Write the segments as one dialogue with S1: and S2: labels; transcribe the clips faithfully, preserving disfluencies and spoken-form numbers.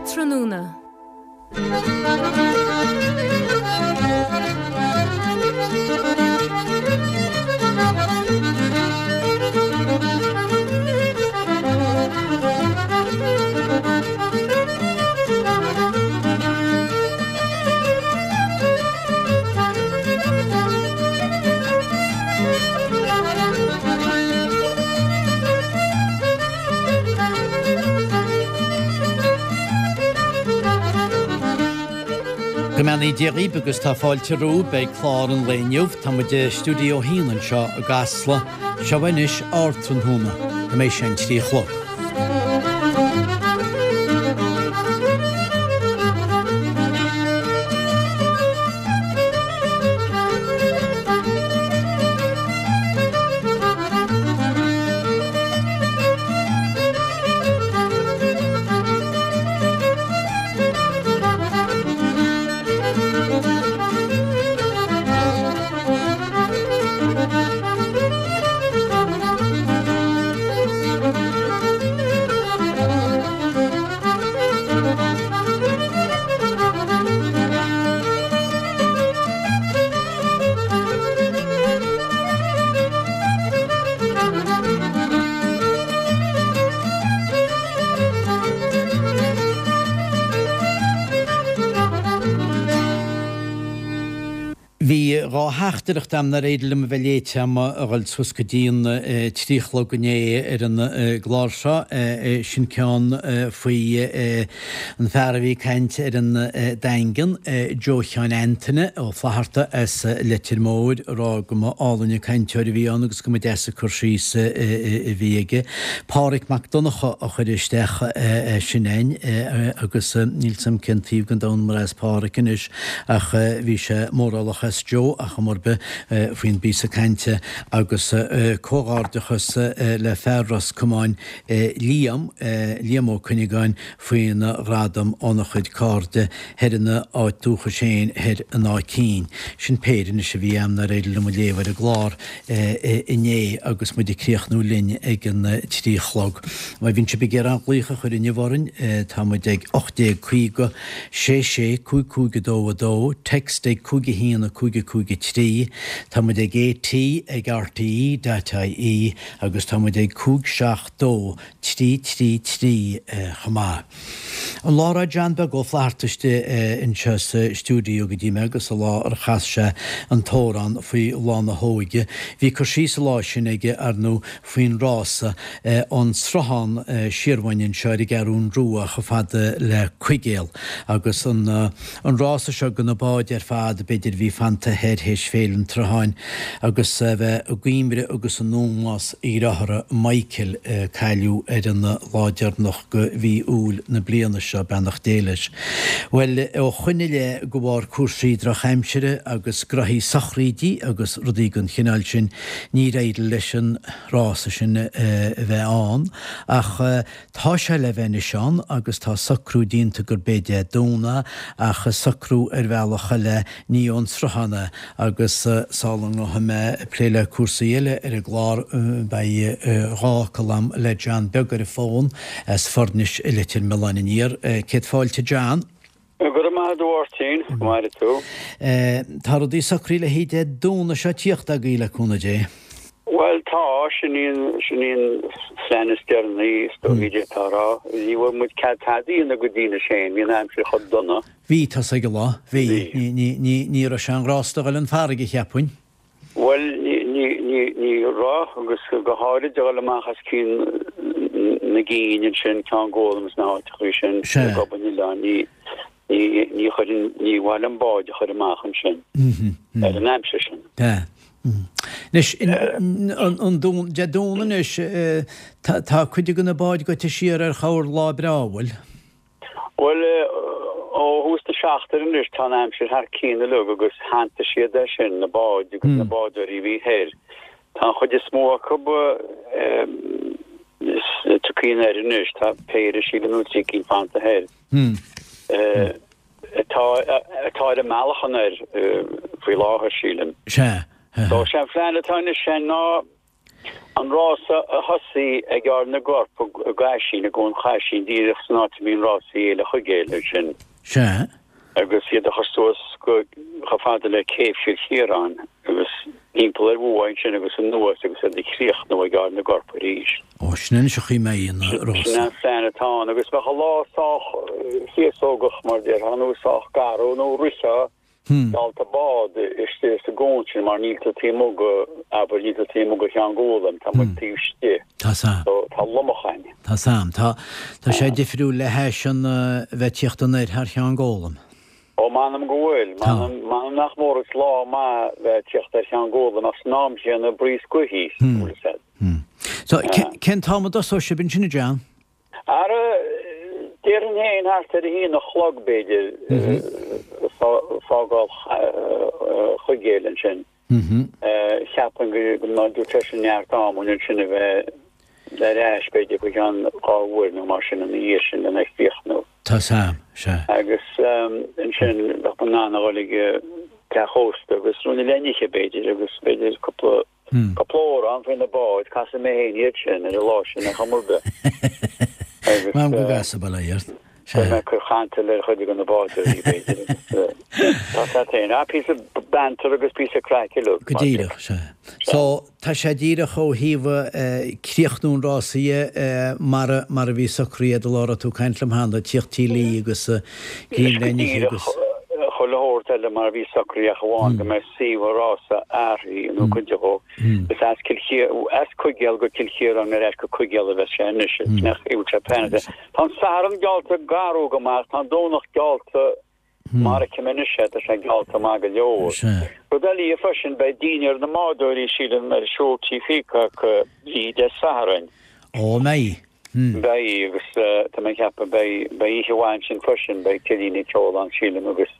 S1: Ardtráthnóna.
S2: Go mbeannaí Dia dhaoibh agus tá fáilte romhaibh beidh clár an lae inniu. Tá muid i stiúideo a haon anseo i gCasla. Seo anois Ardtráthnóna, go mbeidh sé an trí a chlog. Bhí dhá theachtaireacht a'm nár éirigh liom a bheith léite a'm a dhul suas go dtí an trí a chlog inné ar an gclár seo. Sin ceann faoi an fear a bhí ag caint ar an Daingean, Joe Sheáin Antaine Ó Flatharta as Leitir Móir, ag rá go mba álainn an cainteoir a bhí ann agus go mba deas an cur síos a bhí aige. Páraic Mac Donncha a chuir isteach é sin a'inn agus níl 's a'm cén taobh den domhan mar as Páraic anois ach bhí sé mórálach as Joe ach am ar bith faoin bpíosa cainte agus comhghairdeachas le fear Ros Comáin Liam, Liam Ó Cuinneagáin faoina ghradam óna chuid cairde thoir ina áit dúchais féin thoir in Áth Cinn. Sin péire anois a bhí a'm nár éirigh liom a léamh ar an gclár inné agus muid ag críochnú linn ag an trí a chlog. Má bhíonn sibh ag iarraidh aon ghlaoch a chur inniu orainn tá muid ag ocht déag caoga sé sé cúig cúig a dó a dó, text ag cúig a haon a cúig a cúig a trí, tá muid ag AT ag RTE dot IE agus tá muid ag cúig seacht dó trí trí trí chomh maith. An lá a raibh John Beag Ó Flatharta istigh anseo sa stiúideo go dtí mé agus an lá ar chas sé an t-amhrán faoi lá na hóige, bhí cur síos an lá sin aige ar ndóigh faoin rása ón sruthán siar uainn anseo ar an gCeathrún Rua chomh fada le Cuigéal agus an an rása seo go na báid ar fad b'fhéidir a bhí fanta thoir théis Féile an tSrutháin agus a bheith i gcuimhre agus in ómós a dhearthára Michael a cailleadh ar an lá deireanach go mhí Iúil na bliana seo, beannacht Dé leis. Bhuel, ó shoin i leith go bharr cúrsaí drochaimsire agus graithí sochraídí agus rudaí den chineál sin níor éirigh leis an rása sin a bheith ann ach tá sé le bheith anois ann agus tá socrú déanta gurb é Dé Domhnaigh ach socrú ar bhealach eile ní ón sruthán é agus sula ngabhfaidh mé ag plé le cúrsaí eile ar an gclár beidh dhá fhocal a'm le John Beag ar an bhfón as Foirnis i Leitir Mealláin Aniar. Céad fáilte John.
S3: Go raibh maith agat a Mháirtín, go maire tú.
S2: Tá rudaí socraithe le haghaidh Dé Domhnaigh seo tíocht agaibh le cúnamh Dé.
S3: Bhuel tá, sin í an, sin í an phlean is deireanaí is dóigh d'fhéadfá a rá. Ní bhfuair muid cead tada a dhéanamh go dtí anois féin, bhí an aimsir chomh dona.
S2: Bhí, tá 's ag an lá, bhí.
S3: Bhí.
S2: Ní, ní, ní raibh sé an-ghrásta a dhul 'un farraige, cheapfainn.
S3: Bhuel, ní, ní, ní, ní raibh, agus go háirid a dhul amach as Cionn na gCinn ansin, Ceann Gólaim is na háiteachaí sin,
S2: Sea.
S3: Gob an Oileáin, ní, ní, ní chuirfinn, ní mhaith liom báid a chur amach ansin ar an aimsir sin.
S2: Sea. Anois, an Dún, Dé Domhnaigh anois, tá, tá cuid de na báid goite siar ar chomhair lá breá, an bhfuil?
S3: Bhuel, ó thús na seachtaine anois tá an aimsir thar cionn uilig agus shantaigh siad é sin, na báid agus na bádóirí a bhí thoir. Tá an chuid is mó acu tugtha anoir anois, tá péire sílim nó trí cinn fanta thoir. Atá atá ar a mbealach anoir faoi láthair sílim.
S2: Sea.
S3: So sé an phlean atá anois ná An rása a thosaí ag Ard na gCorp i gCaisin, i gCuan Chaisin, díreach san áit a mbíonn rásaí Fhéile Chuigéil ansin.
S2: Sea.
S3: Agus iad a chur suas go chomh fada le Céibh Chill Chiaráin agus timpeall ar Mhumhaidh ansin agus anuas agus iad a chríochnú ag Ard na gCorp arís.
S2: Ó, sin anois an chaoi a mbeidh an rása.
S3: Sin an plean atá ann agus bheadh an lá sách féasógach mar déarfá nó sách garbh nó rithfeá dalta bád istigh sa gcuan sin mar níl tú taobh amuigh go, abair, níl tú taobh amuigh go Cheann Gólaim, tá muid taobh istigh.
S2: Tá 's a'm.
S3: So tá lomach ann.
S2: Tá 's a'm. Tá, tá sé difriúil le hais an bheith ag tíocht anoir thar Cheann Gólaim.
S3: Ó m'anam go bhfuil.
S2: Tá.
S3: M'anam, m'anam nach mór is lá maith bheith ag tíocht ar Cheann Gólaim ach san am chéanna bríos gaoithe, bhfuil 'fhios a'd.
S2: So, cén t-am a dtosóidh sibh ansin, a John?
S3: Ara, déarfainn féin thart ar a haon a chlog, b'fhéidir, fágáil Chuigéil ansin. Cheapfainn go mbeadh sé sin neart am againn ansin a bheith ar ais, b'fhéidir, faoi cheann dhá uair nó mar sin ina dhiaidh sin lena chríochnú.
S2: Tá 's a'm, sea.
S3: Agus ansin bheadh muid in ann a dhul ag teach ósta agus ruainne le n-ithe, b'fhéidir, agus b'fhéidir cúpla Cúpla amhrán faoi na báid, casfaidh mé féin iad sin ar an lá sin ar chuma ar bith. Agus
S2: M'anam go gcasfaidh, bail ó Dhia ort.
S3: beidh mé ag cur cantal ar chuid de na bádóirí, b'fhéidir, agus tá sé féin. Ah, píosa banter agus píosa craic uilig,
S2: Go
S3: mar sin.
S2: díreach, sea. So, tá sé díreach ó thaobh críochnú an rása dhe mar a, mar a bhí socraithe an lá a raibh tú ag caint liom cheana, tíocht Tí Laoi agus
S3: Anois
S2: greim
S3: go
S2: le n-ithe
S3: díreach,
S2: agus.
S3: chuile shórt eile mar a bhí socraithe ach amháin go mbeidh suíomh an rása athraithe nó cuid de dhó. Is as Cill Chiar- as Cuigéal go Cill Chiaráin ar ais go Cuigéal a bheas sé anois. Nach bhfuil sé pleanáilte. Tá an Satharn geallta garbh go maith, tá an Domhnach geallta mar a fheicim anois é, tá sé geallta maith go leor. Rud eile freisin, beidh dinnéar na mbádóirí sílim ar siúl Tí Peacock oíche Dé Sathairn.
S2: Ó, mbeidh.
S3: Beidh, agus tá mé ag ceapadh beidh beidh oíche mhaith ansin freisin, beidh cillín ag ceol ann sílim agus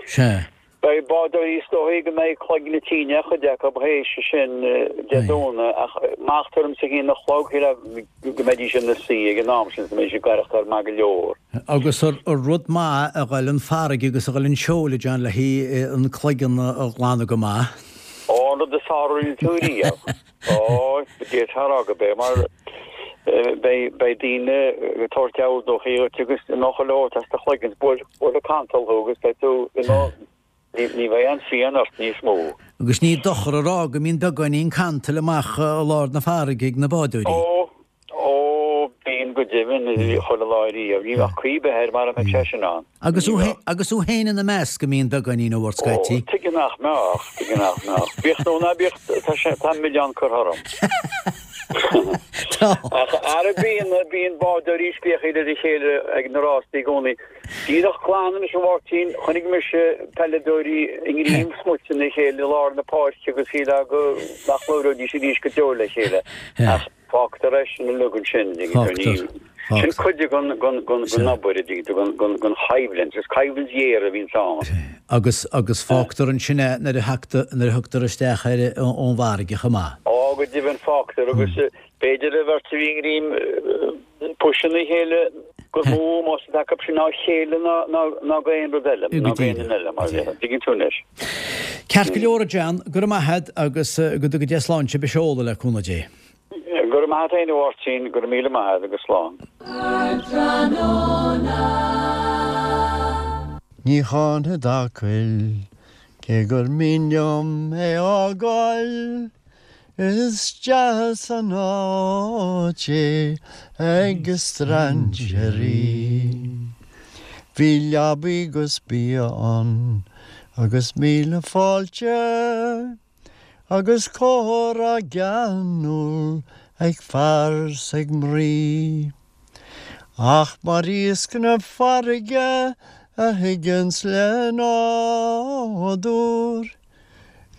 S2: Sea.
S3: beidh bádóirí is dóichí go mbeidh cloigne tinn ar chuid acu théis sin Dé Domhnaigh ach má tá ormsa a haon a chlog shílfeá go mbeidís ina suí ag an am sin go mbeidís ag aireachtáil maith go leor.
S2: Agus ar rud maith a ghoil an farraige agus a ghoil an seol a John le haghaidh an cloigeann a ghlanadh go maith.
S3: Ó, an rud is fearr a rinne tú riamh. Ó, d'fhéadfá a rá gurb é mar beidh beidh daoine ag tabhairt deabhal dóichí dhuit agus imeoidh chuile shórt as do chloigeann, buailfidh cantal thú agus beidh tú you know ní ní bheidh aon phian ort níos mó.
S2: Agus ní dochar a rá go mbíonn beagáinín cantail amach i lár na farraige ag na bádóirí.
S3: Ó, ó, bíonn go deimhin chuile lá riamh, ní bheadh caoi ar bith air mara mbeadh sé sin ann.
S2: Agus thú agus thú féin ina measc a mbíonn beagáinín ó scaití.
S3: Ó, tuige nach mbeadh, tuige nach mbeadh. Bíodh nó ná bíodh, tá sé, tá milleán curtha orm.
S2: Tá.
S3: Ach ara bíonn, bíonn bádóirí ag spréachaíl ar a chéile ag na rástaí i gcónaí. Díreach glan anois a Mháirtín, chonaic mise peileadóirí i ngreim smut ina chéile i lár na páirce agus shílfeá go nach labhróidís arís go deo le chéile. Ach fágtar é sin uilig ansin, an dtuigeann tú,
S2: Fágtar.
S3: ní, sin
S2: Fágtar.
S3: cuid den, den, den, den obair, an dtuigeann tú, den, den, den choimhlint, is coimhlint ghéar a bhíonns ann.
S2: Agus, agus fágtar ansin é nuair a thagtar, nuair a thugtar isteach air ón bhfarraige chomh maith.
S3: Ó, go deimhin fágtar agus b'fhéidir an bheirt a bhí i ngreim puis ina chéile gur mó ómós atá acu sin dá chéile ná, ná, ná go aon rud eile,
S2: Go
S3: ná go aon
S2: díreach,
S3: duine eile,
S2: go
S3: mar
S2: díreach.
S3: dtuigeann tú anois.
S2: Ceart go leor a John, go raibh maith agat agus go dtuga Dia slán sibh a seoladh le cúnamh Dé.
S3: Go raibh maith agat féin a Mháirtín, go raibh míle maith agat agus slán.
S1: Ní cháinfead Acaill, cé gur mian liom é fhágáil, Is deas an áit é ag strainséirí. Bhí leabaí 'gus bia ann agus míle fáilte, Agus comhrá geanúil ag fear 's ag mnaoi. Ach mar iasc na farraige a thigeanns le nádúr,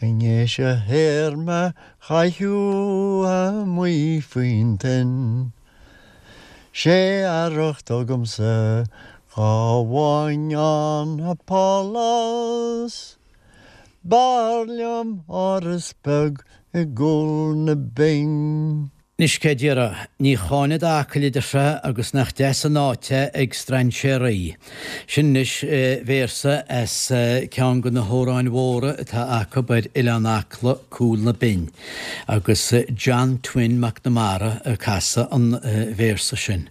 S1: I ndéis a théarma chaitheamh amuigh faoin toinn, 'Sé arracht agamsa dhá bhfaighinn ann a pálás. B'fhearr liom áras beag i gcúl na binne.
S2: Anois cé déarfá, ní cháinead Acaill a deir sé agus nach deas an áit é ag strainséaraí. Sin anois véarsa as ceann de na hamhráin mhóra atá acu ar Oileán Acla, Cúl na Binne, agus John Twin Mac Namara ag casadh an véarsa sin.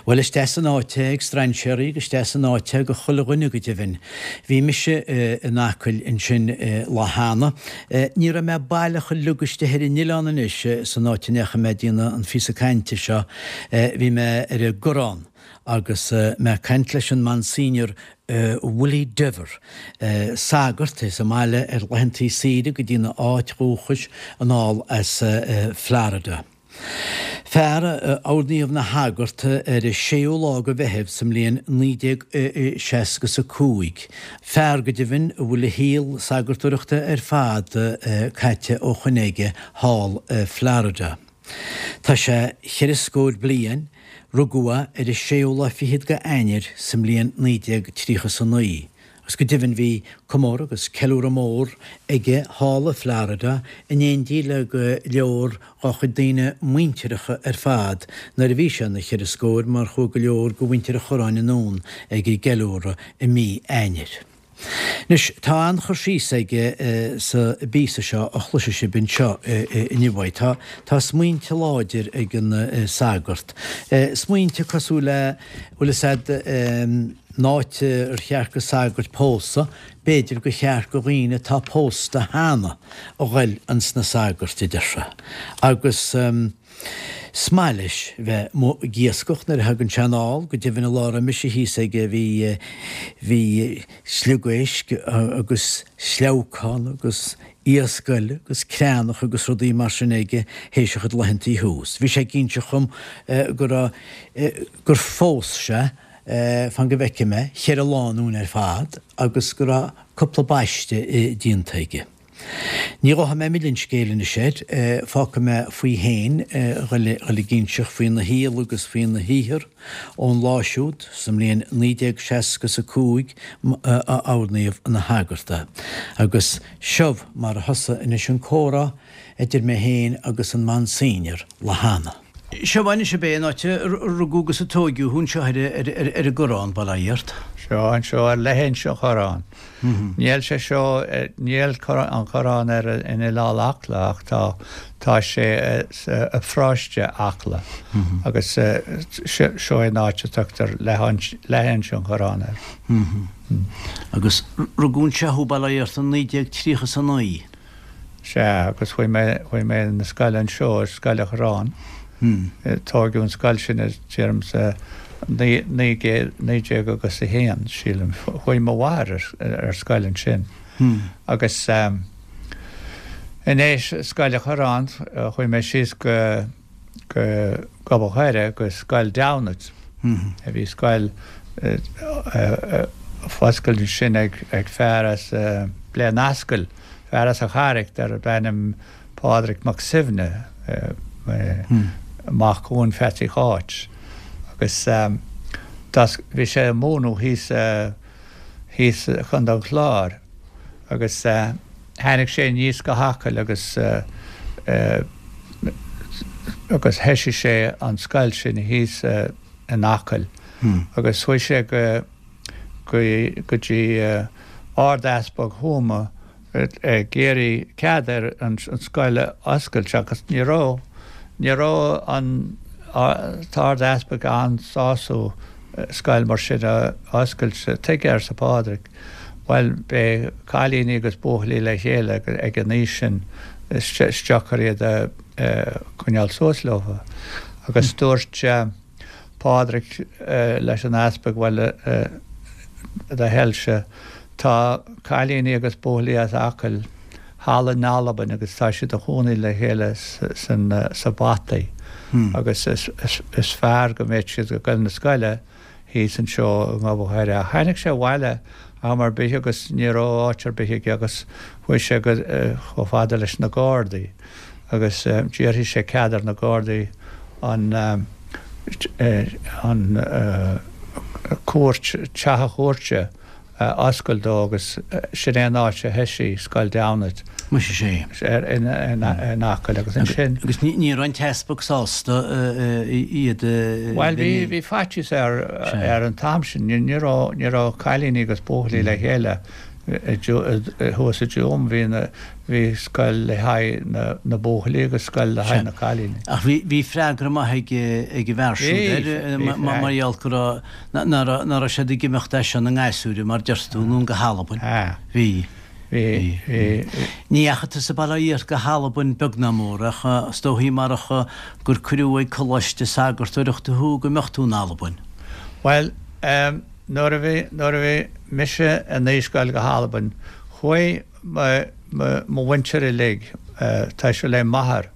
S2: Bhuel is deas an áit é ag strainséaraí agus is deas an áit é go chuile dhuine go deimhin. Bhí mise in Acaill ansin lá cheana. Ní raibh mé baileach uilig istigh ar an oileán anois san áit a ndeachaigh mé ag déanamh an phíosa cainte seo. Bhí mé ar an gCorrán agus mé ag caint leis an Monsignor Willie Dever, sagart é sa mbaile ar laethantaí saoire go dtína áit dhúchais anall as Florida. Fear a oirníodh ina shagart ar an séú lá de Mheitheamh sa mbliain naoi déag seasca is a cúig. Fear go deimhin a bhfuil a shaol sagartóireachta ar fad caite ó shoin aige thall i Florida. Tá sé cheithre scór bliain, rugadh é ar an séú lá fichead de Eanáir sa mbliain naoi déag tríocha is a naoi. Agus go deimhin bhí comóradh agus ceiliúradh mór aige thall i Florida in éindí le go leor dá chuid daoine muintireacha ar fad nuair a bhí sé ina cheithre scór mar chuaigh go leor de mhuintir an Chorráin anonn ag an gceiliúradh i mí Eanáir. Anois, tá an-chur síos aige sa bpíosa seo a chloisfidh sibh anseo inniu uaidh. Tá, tá smaointe láidir ag an sagart. Smaointe cosúil le, bhfuil fhios a'd, an áit ar cheart go sagairt pósadh, b'fhéidir gur cheart go dhaoine atá pósta cheana a ghoil ins na sagairt, a deir sé. Agus is maith leis bheith amuigh ag iascach nuair a thagann sé anall, go deimhin an lá a raibh mise thíos aige bhí bhí sliogéisc agus sleabhcán agus iasc eile agus creathnach agus rudaí mar sin aige théis a chuid laethantaí thuas. Bhí sé ag inseacht dhom go raibh gur phós sé Fan go bhfeicfidh mé, cheithre lánúin ar fad agus go raibh cúpla baiste déanta aige. Ní ghabhfaidh mé milleadh an scéil anois air, fágfaidh mé faoi fhéin dhul ag inseacht faoina shaol agus faoina shaothar ón lá siúd sa mbliain naoi déag seasca is a cúig a oirníodh ina shagart é. Agus seo mar a thosaigh anois an comhrá idir mé féin agus an Monsignor lá cheana. Seo anois ab é an áit a rugadh agus a tóigeadh thú anseo ar an gCorrán, bail ó Dhia ort?
S4: Seo anseo ar leithinse an Chorráin. Níl sé seo, níl an Corrán ar in Oileán Acla ach tá tá sé i bparóiste Acla agus seo é an áit a tugtar leithinse an Chorráin air.
S2: Agus rugadh anseo thú, bail ó Dhia ort, in naoi déag tríocha is a naoi.
S4: Sea, agus chuaigh mé, chuaigh mé na scoile anseo, ar Scoil an Chorráin. Tóigeadh an scoil sin, déarfainn, sa naoi, naoi gcéad, naoi déag agus a haon, sílim. Chuaigh mo mháthair ar, ar scoil ansin. Agus in éis Scoil an Chorráin, chuaigh mé síos go, go Gob an Choire, go Scoil Damhnait. Bhí scoil foscailte ansin ag, ag fear as Bleán Ascaill. Fear as an Charraic darb ainm Pádraig Mac Suibhne, mac Eoin Pheatsaí Cháit, agus bhí sé ag múineadh thíos thíos i Contae an Chláir agus tháinig sé aníos go hAcaill agus agus thoisigh sé an scoil sin thíos in Acaill agus chuaigh sé go go dtí Ard-Easpag Thuama ag iarraidh cead ar an scoil a oscailt agus ní raibh, ní raibh an tArd-Easpag an-sásta scoil mar sin a oscailt. Tuige, arsa Pádraig. Bhuel, beidh cailíní agus buachaillí le chéile ag an aois sin, is deacair iad a choinneáil suas leofa. Agus dúirt. Pádraig leis an easpag, Bhuel, a do thoilse, tá cailíní agus buachaillí as Acaill thall in Albain agus tá siad ina chónaí le chéile sa Bhataí agus is fearr go mbeadh siad ag goil na scoile thíos anseo i nGob an Choire. Ach tháinig sé abhaile am ar bith agus ní raibh áit ar bith aige agus chuaigh sé chomh fada leis na Gardaí. agus d'iarr sé cead ar na Gardaí an an cúirt, teach an chúirte oscailt dó agus sin é an áit a thoisigh Scoil Damhnait.
S2: Muise sé.
S4: In in Acaill agus ansin.
S2: Agus ní raibh an t-easpag sásta iad a.
S4: Bhuel bhí bhí faitíos air ar an t-am sin. Ní raibh ní raibh cailíní agus buachaillí le chéile thuas i dTuaim. Bhí na bhí scoil le haghaidh na na buachaillí agus scoil le haghaidh na cailíní.
S2: Ach bhí bhí freagra maith ag ag an bhfear siúd air mar gheall go raibh nach raibh siad ag imeacht as seo ina ngasúir, mar deir tú, anonn go hAlbain. Bhí.
S4: Bhí. Bhí.
S2: Ní dheachaigh tusa bail ó Dhia ort go hAlbain beag ná mór, ach is dóichí marach gur cuireadh ag coláiste sagartóireachta thú go mbeadh tú in Albain.
S4: Bhuel, nuair a bhí, nuair a bhí mise in aois goil go hAlbain, chuaigh mo, mo, mo mhuintir uilig, toiseacht le m'athair,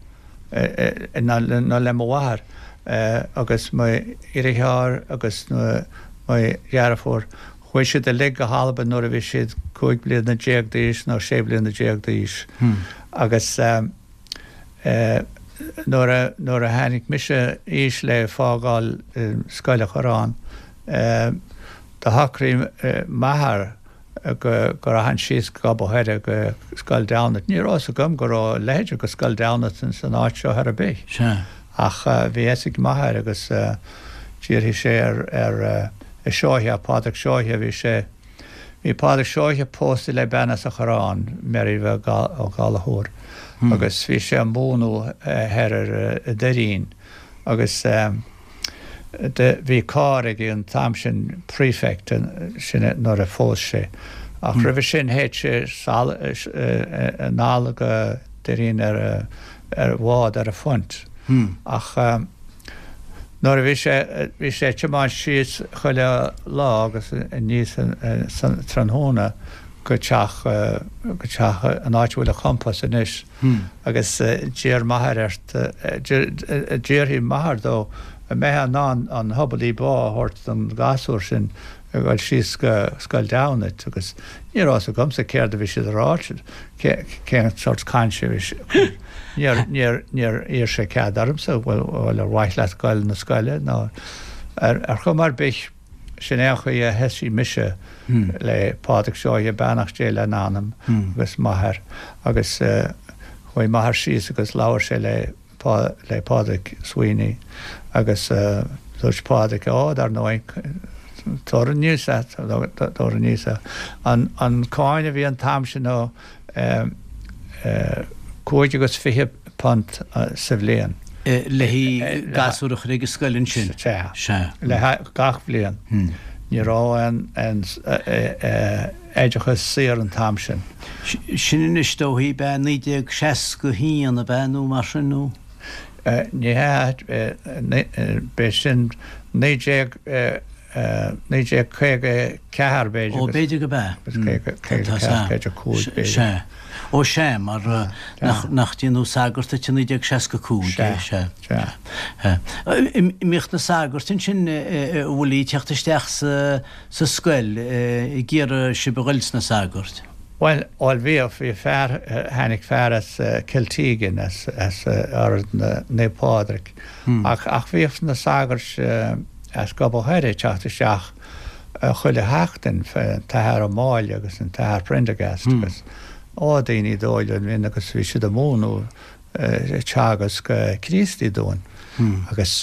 S4: nó le mo mháthair agus mo dheartháir agus mo dheirfiúr, chuaigh siad uilig go hAlbain nuair a bhí siad cúig bliana déag d'aois nó sé bliana déag d'aois. Agus nuair a nuair a tháinig mise aois le fágáil Scoil an Chorráin, do shocraigh m'athair go go rachainn síos go Gob an Choire go Scoil Damhnait. Ní raibh fhios agam go raibh a leithéid de Scoil Damhnait ins an áit seo ar bith.
S2: Sea.
S4: Ach bhí fhios ag m'athair agus d'iarr sé ar ar Seoighe, Pádraig Seoighe, bhí sé, bhí Pádraig Seoighe pósta le bean as an Chorrán, Mary Ó Gallchóir, agus bhí sé ag múineadh thoir ar an Doirín agus bhí carr aige an t-am sin, Prefect, sin nuair a phós sé. Ach roimhe sin théadh sé sall anall go Doirín ar ar bhád ar a phunt. Ach nuair a bhí sé bhí sé ag tiomáint síos chuile lá agus aníos san tráthnóna go teach go teach an áit a bhfuil an compás anois agus d'iarr m'athair air d'iarr m'athair dó an mbeifeá in ann an hobbly bá a thabhairt don ghasúr sin a ghoil síos go Scoil Damhnait agus ní raibh fhios agamsa céard a bhí siad a rá, cén sórt cainte a bhí siad. Níor, níor, níor iarr sé cead ormsa, bhuel, bhuel ar mhaith leat goil na scoile nó ar, ar chuma ar bith sin é an chaoi a thoisigh mise le Pádraig Seoighe, beannacht Dé lena anam, agus m'athair agus chuaigh m'athair síos agus labhair sé le le Pádraig Sweeney agus dúirt Pádraig, Ó, dar ndóigh, tabhair aníos é, tabhair aníos é. An, an cáin a bhí an t-am sin ná cúig agus fiche punt sa bhliain.
S2: Le haghaidh gasúr a chur ag an scoil ansin?
S4: Sea.
S2: Sea.
S4: Le haghaidh gach bhliain. Ní raibh aon, aon oideachas saor an t-am sin.
S2: Sin anois dóichí, b'ea naoi déag seasca a haon, ab ea, nó mar sin, nó?
S4: Ní hea, b'é sin naoi déag, naoi déag caoga a ceathair, b'fhéidir.
S2: Ó, b'fhéidir go b'ea.
S4: Caoga a ceathair, caoga a cúig, b'fhéidir.
S2: Sea. Ó, sea, mar nach ndéanadh sagart duit i naoi déag seasca a cúig,
S4: sea, sea.
S2: Sea. An mbíodh na sagairt ansin, a Willie, ag teacht isteach sa sa scoil ag iarraidh sibh a ghoil sna sagairt?
S4: Bhuel, bhuel bhíodh, bhí fear, tháinig fear as Cill Teagan, as, as Ord Naomh Pádraig, ach, ach bhíodh na sagairt as Gob an Choire ag teacht isteach chuile sheachtain, an tAthair Ó Máille agus an tAthair Prendergast agus, ó, daoine dóighiúla ansin agus bhí siad ag múineadh, ag teagasc Críostaí dúinn agus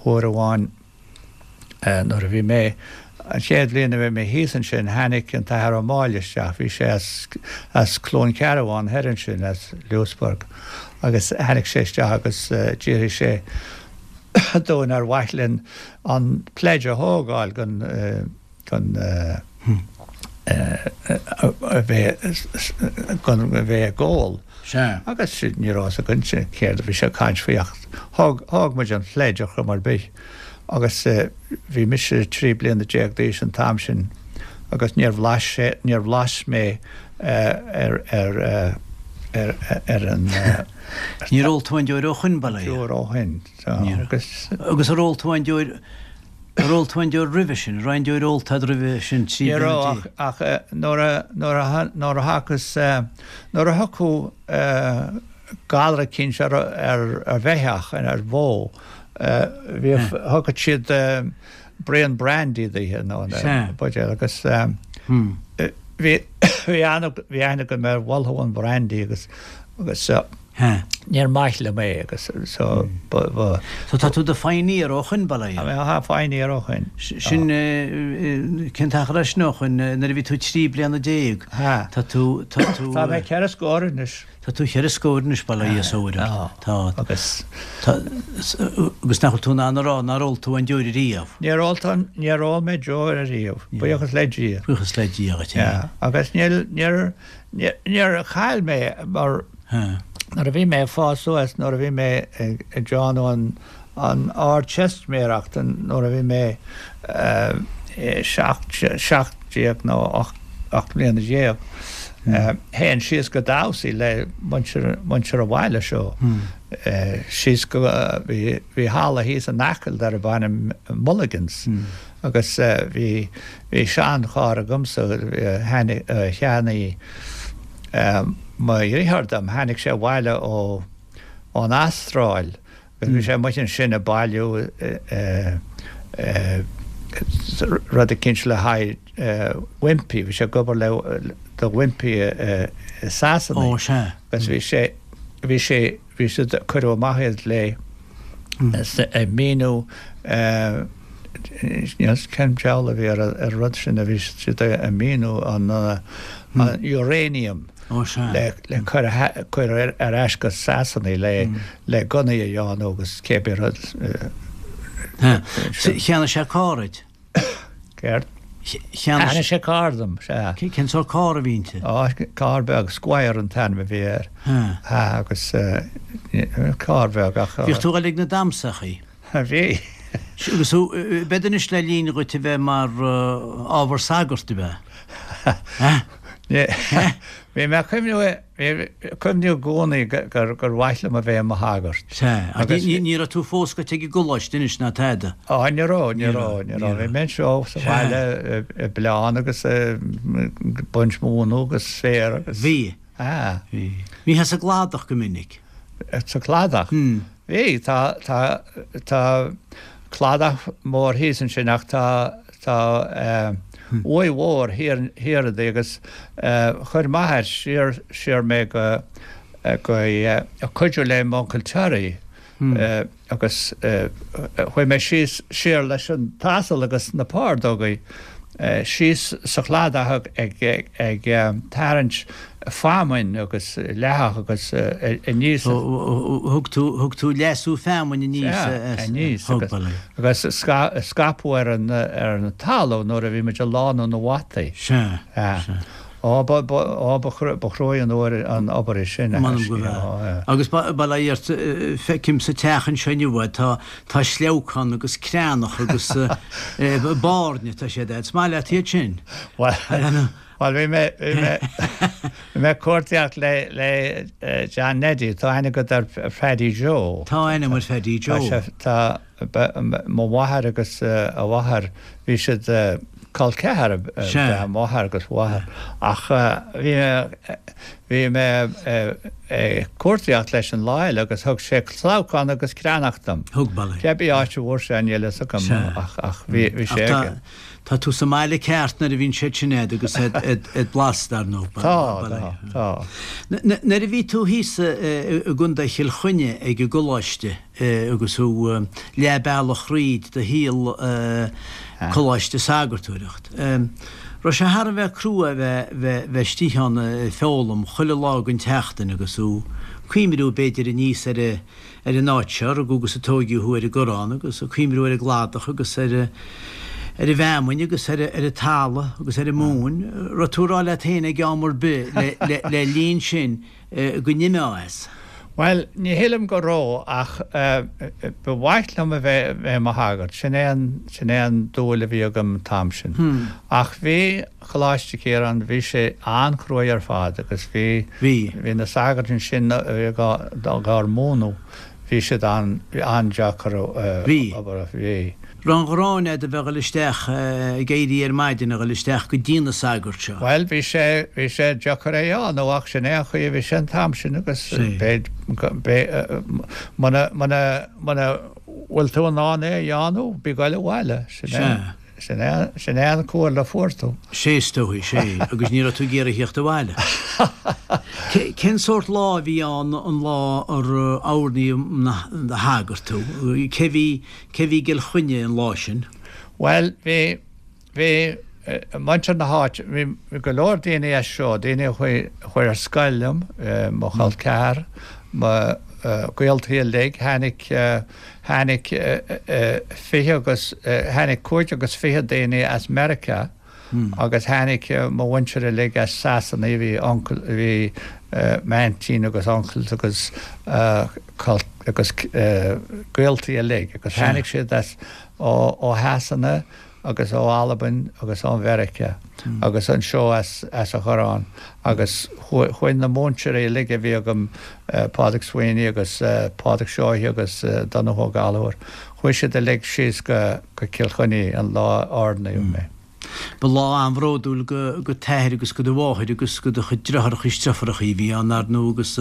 S4: uair amháin, Nuair a bhí mé, an chéad bhliain a bhí mé thíos ansin, tháinig an tAthair Ó Máille isteach, bhí sé as, as Cluain Cearbán thoir ansin, as Louisburgh, agus tháinig sé isteach agus d'fhiafraigh sé dúinn ar mhaith linn an pledge a thógáil gon, gon, a bheith, gon, a bheith ag ól.
S2: Sea.
S4: Agus ní raibh fhios againn céard a bhí sé ag caint faoi ach thóg, thóg muid an pledge ar chuma ar bith. Agus bhí mise trí bliana déag d'aois an t-am sin agus níor bhlais sé, níor bhlais mé ar, ar, ar, ar an.
S2: Níor ól tú aon deoir ó shoin, bail ó Dhia.
S4: Deoir ó shoin.
S2: Níor.
S4: Agus.
S2: Agus ar ól tú aon deoir, ar ól tú aon deoir roimhe sin? An raibh aon deoir ólta agat roimhe sin, trí
S4: Ní
S2: bliana
S4: raibh
S2: déag?
S4: ach, ach nuair a, nuair a, nuair a thiocfas, nuair a thiocfadh galar eicínt ar, ar, ar bheithíoch, ar bhó, Bhíodh, thugadh siad braon brandy daoithe nó buidéal agus Bhí bhí aithne bhí aithne agam ar bholathú an brandy agus agus níor mhaith liom é agus so ba ba.
S2: So tá tú i do phioneer ó shoin, bail ó Dhia?
S4: Tá pioneer ó shoin.
S2: Sin cén t-achar é sin ó shoin nuair a bhí tú trí bliana déag? Tá tú tá tú.
S4: Tá mé ceithre scór anois.
S2: Tá tú cheithre scór anois, bail ó Dhia is a fhuair ort. Tá.
S4: Agus.
S2: Tá, agus nach bhfuil tú in ann a rá nár ól tú aon deoir ariamh?
S4: Níor ól tú, níor ól mé deoir ariamh, buíochas le Dia.
S2: Buíochas le Dia dhuit,
S4: yeah. Agus níl, níor, níor chaill mé mar nuair a bhí mé ag fás suas, nuair a bhí mé ag déanamh an, an Ardteistiméireacht, nuair a bhí mé seacht, seacht déag nó ocht, ocht mbliana déag, Théinn síos go damhsaí le muintir an bhaile seo. Síos go, bhí bhí halla thíos in Acaill darbh ainm Mulligan's agus bhí bhí seancharr agamsa a cheannaigh mo dheartháir dom, tháinig sé abhaile ó ón Astráil agus bhí sé amuigh ansin ag bailiú rud eicínt le haghaidh Wimpy, bhí sé ag obair le do Wimpy i Sasana.
S2: Ó, sea.
S4: Agus bhí sé, bhí sé, bhí siad, cuireadh amach iad le ag míniú níl cén deabhal a bhí ar an rud sin a bhí siad ag míniú an uranium.
S2: Ó, sea.
S4: Le le cur cur ar ais go Sasana le le gunnaí a dhéanamh agus cé bith rud.
S2: Cheannaigh sé carr duit?
S4: Céard? Cheannaigh sé carr dom, sea.
S2: Cén sórt carr a bhí inti?
S4: Ó, carr beag, Squire an t-ainm a bhí air. Sea, agus carr beag ach.
S2: Bhíodh tú ag dul ag na damhsachaí?
S4: Bhí.
S2: Agus thú, b'fhéidir anois le linn dhuit a bheith mar ábhar sagairt, ab
S4: ea? Bhí mé ag cuimhniú, bhí cuimhniú i gcónaí gur gur mhaith liom a bheith i mo shagart.
S2: Sea, ach ní raibh tú fós gaibhte ag an gcoláiste anois ná tada?
S4: Á, ní raibh, ní raibh, ní raibh. Bhí mé anseo sa bhaile ag bleán agus ag baint móna agus féar agus.
S2: Bhí.
S4: Sea.
S2: Bhí. Bhítheá sa gcladach go minic?
S4: Sa chladach? Bhí, tá, tá, tá cladach mór thíos ansin ach tá, tá uaigh mhór thiar, thiar di agus chuir m'athair siar, siar mé go, go, cuidiú le m'uncail Terry agus chuaigh mé síos, siar leis an t-asal agus na pardógaí síos sa chladach ag, ag tarraingt feamainn agus leathach agus aníos.
S2: Thug tú, thug tú leasú feamainn aníos
S4: as, aníos agus, agus scaipeadh ar an, ar an talamh nuair a bhí muid ag lánú na bhfataí.
S2: Sea, sea.
S4: Ó, ba, ba, ó, ba chruaidh an uair an obair é sin.
S2: M'anam go bhfeadh. Agus bail ó Dhia ort, feicim sa teach anseo inniu tá, tá sleabhcán agus creathnach agus bairne, tá siad a'd. Is maith leat iad sin?
S4: Bhuel, bhuel, bhí mé, bhí mé, bhí mé ag cuartaíocht le, le John Neddy, tá aithne agat ar Phaddy Joe.
S2: Tá aithne agam ar Phaddy Joe.
S4: Tá sé, tá, mo mháthair agus a mháthair, bhí siad, col ceathar ab ea m'athair agus a mháthair ach bhí mé bhí mé ag cuartaíocht leis an lá eile agus thug sé sleabhcán agus creathnach dom.
S2: Thug, bail ó Dhia.
S4: Cé bith áit a bhfuair sé níl fhios agam ach ach bhí bhí sé aige.
S2: Tá tú sa mbaile ceart nuair a bhíonn siad sin a'd agus iad blasta, dar ndóigh.
S4: Tá, tá, tá.
S2: Nuair a bhí tú thíos i gContae Chill Chainnigh ag an gcoláiste, agus thú leath bealach thríd do shaol coláiste sagartóireacht. Raibh sé thar a bheith crua bheith bheith istigh ann ag foghlaim chuile lá den tseachtain agus thú cuimhniú b'fhéidir aníos ar ar an áit seo, rugadh agus a tóigeadh thú ar an gCorrán agus ag cuimhniú ar an gcladach agus ar ar an bhfeamainn agus ar ar an talamh agus ar an móin. Raibh tú ag rá leat féin ag am ar bith le le le linn sin go n-imeá as?
S4: Bhuel, ní shílim go raibh ach ba mhaith liom a bheith i mo shagart. Sin é an, sin é an dúil a bhí agam an t-am sin. Ach bhí Coláiste Chiaráin, bhí sé an-chruaidh ar fad agus bhí,
S2: Bhí.
S4: bhí na sagairt ansin a bhí dhár múineadh, bhí siad an-deacair
S2: Bhí.
S4: obair, bhí.
S2: Raibh an ghráin agat a bheith ag dul isteach, ag éirí ar maidin a dhul isteach go dtí na sagairt seo.
S4: Bhuel, bhí sé, bhí sé deacair é a dhéanamh ach sin é an chaoi a bhí sé an t-am sin agus b'fhéidir, muna, muna, muna bhfuil tú in ann é a dhéanamh, bí ag goil abhaile, sin é. sin é sin é an comhairle a fuair tú.
S2: Sé is dóigh, sé, agus ní raibh tú ag iarraidh theacht abhaile. Cén sórt lá a bhí ann an lá ar oirníodh ina shagart tú? Cé bhí cé bhí i gCill Chainnigh an lá sin?
S4: Bhuel, bhí bhí muintir na háite, bhí go leor daoine as seo, daoine a chuaigh chuaigh ar scoil liom, mo chol ceathar, mo ghaoltaí uilig, tháinig tháinig fiche agus tháinig cúig agus fiche daoine as Meiriceá agus tháinig mo mhuintir uilig as Sasana, bhí uncail, bhí m'aintín agus uncles agus agus gaoltaí uilig agus tháinig siad as ó ó Shasana agus ó Albain agus ó Mheiriceá agus anseo as as an Choireán agus chuaigh na múinteoirí uilig a bhí agam, Pádraig Sweeney agus Pádraig Seoighe agus Donnchadh Ó Gallchóir, chuaigh siad uilig síos go go Cill Chainnigh an lá a oirníodh mé.
S2: Ba lá an-bhródúil go go t'athair agus go do mháthair agus go do chuid deartháireacha is deirfiúracha a bhí ann, ar ndóigh, agus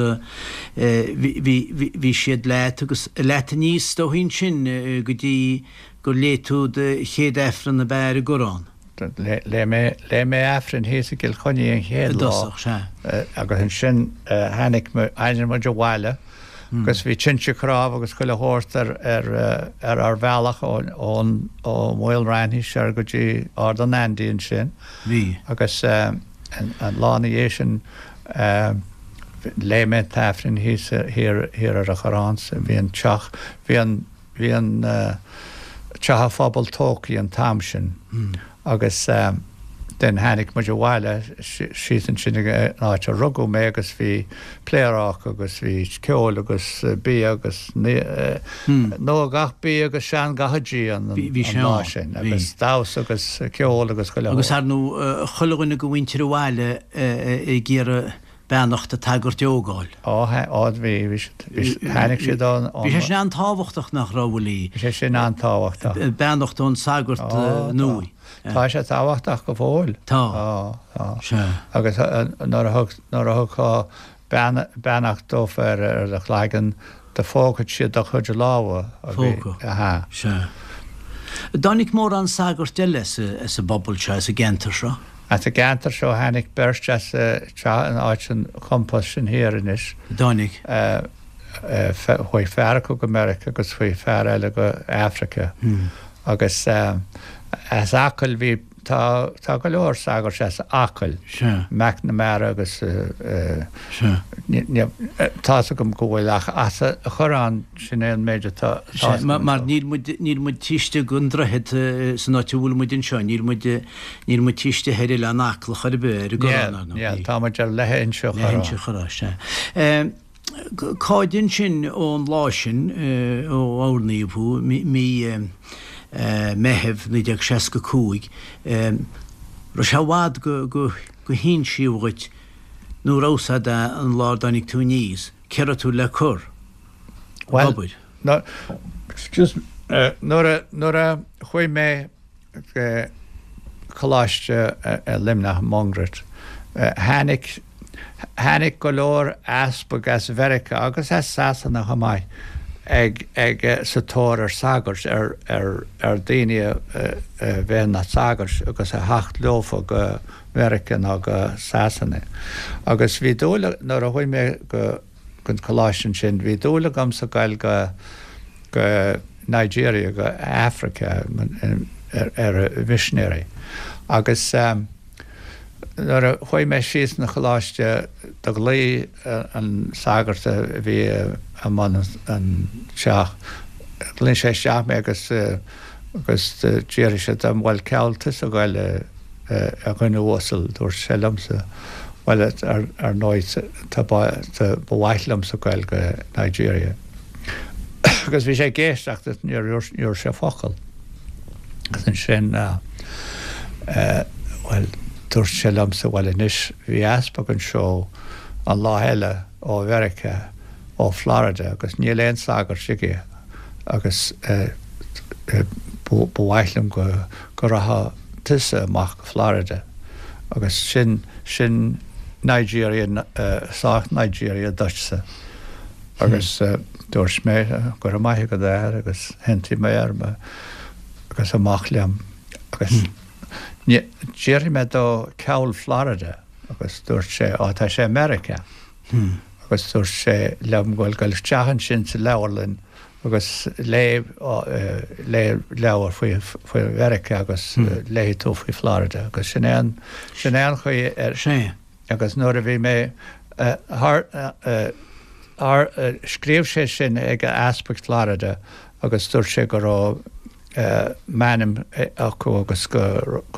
S2: bhí bhí bhí siad leat agus leat aníos is dóigh ansin go dtí gur léigh tú do chéad Aifreann ab ea ar an gCoireán.
S4: Léigh mé, léigh mé Aifreann thíos i gCill Chainnigh an chéad
S2: I
S4: lá
S2: dtosach, sea.
S4: agus ansin tháinig, tháinig muid abhaile agus bhí tinte cnámh agus chuile shórt ar, ar, ar ár bhealach ón, ón, ó Mhaol Raithní soir go dtí Ard an Aindí ansin.
S2: Bhí.
S4: Agus an, an lá ina dhiaidh sin léigh mé an tAifreann thíos thiar, thiar ar an Choireán. Bhí an teach, bhí an, Bhí an teach an phobail tógtha an t-am sin agus then tháinig muid abhaile síos ansin ag an áit a rugadh mé agus bhí pléaráca agus bhí ceol agus bia agus nua gach bia agus sean gach dí an lá sin agus damhsa agus ceol agus chuile
S2: Agus ar ndóigh chuile dhuine de mhuintir an bhaile ag iarraidh beannacht an tsagairt a fhágáil.
S4: Ó, ó, bhí, bhí siad, bhí, tháinig siad ón,
S2: Bhí sé sin an-tábhachtach nach raibh, Willie?
S4: Bhí sé sin an-tábhachtach.
S2: Beannacht ón sagart nua.
S4: Tá sé tábhachtach go fóill.
S2: Tá.
S4: Tá, tá.
S2: Sea.
S4: Agus nuair a thug, nuair a thugfá beannacht dófa ar, ar do chlaigeann, do phógfadh siad do chuid lámha.
S2: Phógadh.
S4: Aha.
S2: Sea. Dtáinig mórán sagart eile as an bpobal seo, as an gceantar seo?
S4: As an gceantar seo tháinig beirt as teach in áit an compost sin thiar anois.
S2: Dtáinig.
S4: Chuaigh fear acu go Meiriceá agus chuaigh fear eile go Africa. Agus as Acaill bhí Tá, tá go leor sagairt as Acaill.
S2: Sea.
S4: McNamara agus
S2: Sea.
S4: tá's agam go bhfuil ach as an Choireán sin é an méid atá
S2: Sea, mar níl muid, níl muid taobh istigh den droichead san áit a bhfuil muid anseo, níl muid, níl muid taobh istigh ar Oileán Aclach ar bith, ar an gCoireán, ar ndóigh.
S4: Níl, níl, tá muid ar leithe Inse Chorráin.
S2: Leithe Inse Chorráin, sea. Cáid ansin ón lá sin, ó oirníodh thú, mí Meithimh naoi déag seasca cúig, raibh sé i bhfad go hinsíodh dhuit nó raibh 's a'd an lá ar dtáinig tú aníos, cé raibh tú le cur ag obair?
S4: Bhuel, excuse me, nuair a chuaigh mé go Coláiste i Luimneach, Mungairit, tháinig, tháinig go leor easpag as Mheiriceá agus as Sasana chomh maith ag, ag, sa tóir ar sagairt, ar, ar, ar daoine a, a bheith ina sagairt agus a theacht leofa go Meiriceá nó go Sasana. Agus bhí dúil, nuair a chuaigh mé go, gon choláiste ansin, bhí dúil agamsa goil go, go Nigeria, go Africa ar, ar mhisinéirí. Agus nuair a chuaigh mé síos 'na choláiste do ghlaoigh an sagart a bhí i mbun an teach, ghlaoigh sé isteach mé agus agus d'fhiafraigh sé dom, bhuel cá bhfuil tusa ag goil a a dhuine uasal, dúirt sé liomsa, bhuel ar ar ndóigh tá ba mhaith liomsa goil go Nigeria. Agus bhí sé ag éisteacht agus níor dhúirt sé focal. Agus ansin bhuel dúirt sé liomsa bhuel anois bhí easpag anseo an lá eile ó Mheiriceá, ó Florida agus níl aon sagart aige agus ba mhaith liom go go rachadh tusa amach go Florida agus sin sin Nigeria sách Nigeria duitse. Agus dúirt mé go raibh maith agat a athair agus thiontaigh mé orm agus amach liom. Agus d'fhiafraigh mé dó cá bhfuil Florida agus dúirt sé, Á, tá sé i Meiriceá. Agus dúirt sé liom go bhfuil gabh isteach ansin sa leabharlann agus léigh léigh leabhar faoi faoi Mheiriceá agus léifidh tú faoi Florida. Agus sin é an sin é an chaoi ar
S2: Sea.
S4: Agus nuair a bhí mé thar thar scríobh sé sin ag Easpag Florida agus dúirt sé go raibh m'ainm acu agus go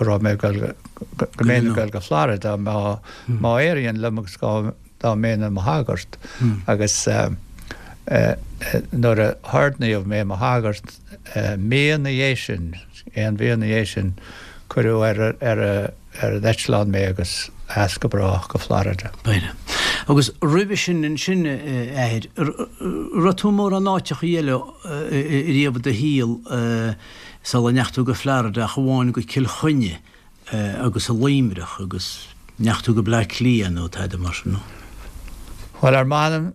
S4: raibh mé ag dul go mbeinn ag dul go Florida má má éiríonn liom agus dá mbeinn i mo shagart agus nuair a hordnaíodh mé i mo shagart mí ina dhiaidh sin, aon mhí ina dhiaidh sin, cuireadh ar ar ar an eitleán mé agus as go brách go Florida.
S2: B'fhéidir. Agus roimhe sin ansin, a Athair, raibh tú mórán áiteachaí eile riamh i do shaol sula ndeachaigh tú go Florida ach amháin go Cill Chainnigh agus i Luimneach agus ndeachaigh tú go Bleá Cliath nó tada mar sin, nó?
S4: Bhuel, ar m'anam,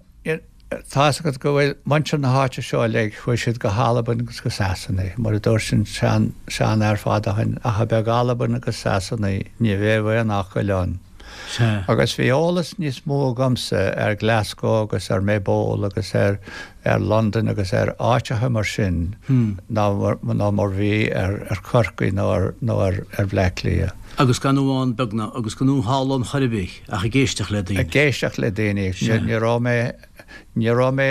S4: Tá's agat go bhfuil muintir na háite seo uilig, chuaigh siad go hAlbain agus go Sasana, mar a dúirt an seanfhear fada ó shin, ach a bheith ag Albain agus Sasana ní bheadh aon Acaill ann.
S2: Sea.
S4: Agus bhí eolas níos mó agamsa ar Glasgow agus ar Maybole agus ar ar Londain agus ar áiteacha mar sin ná ná mar bhí ar ar Chorcaigh nó ar nó ar ar Bhleá Cliath.
S2: Agus gan thú ann beagnach, agus gan thú thall ann chor ar bith, ach ag éisteacht le daoine.
S4: Ag éisteacht le daoine. Ní raibh mé, ní raibh mé,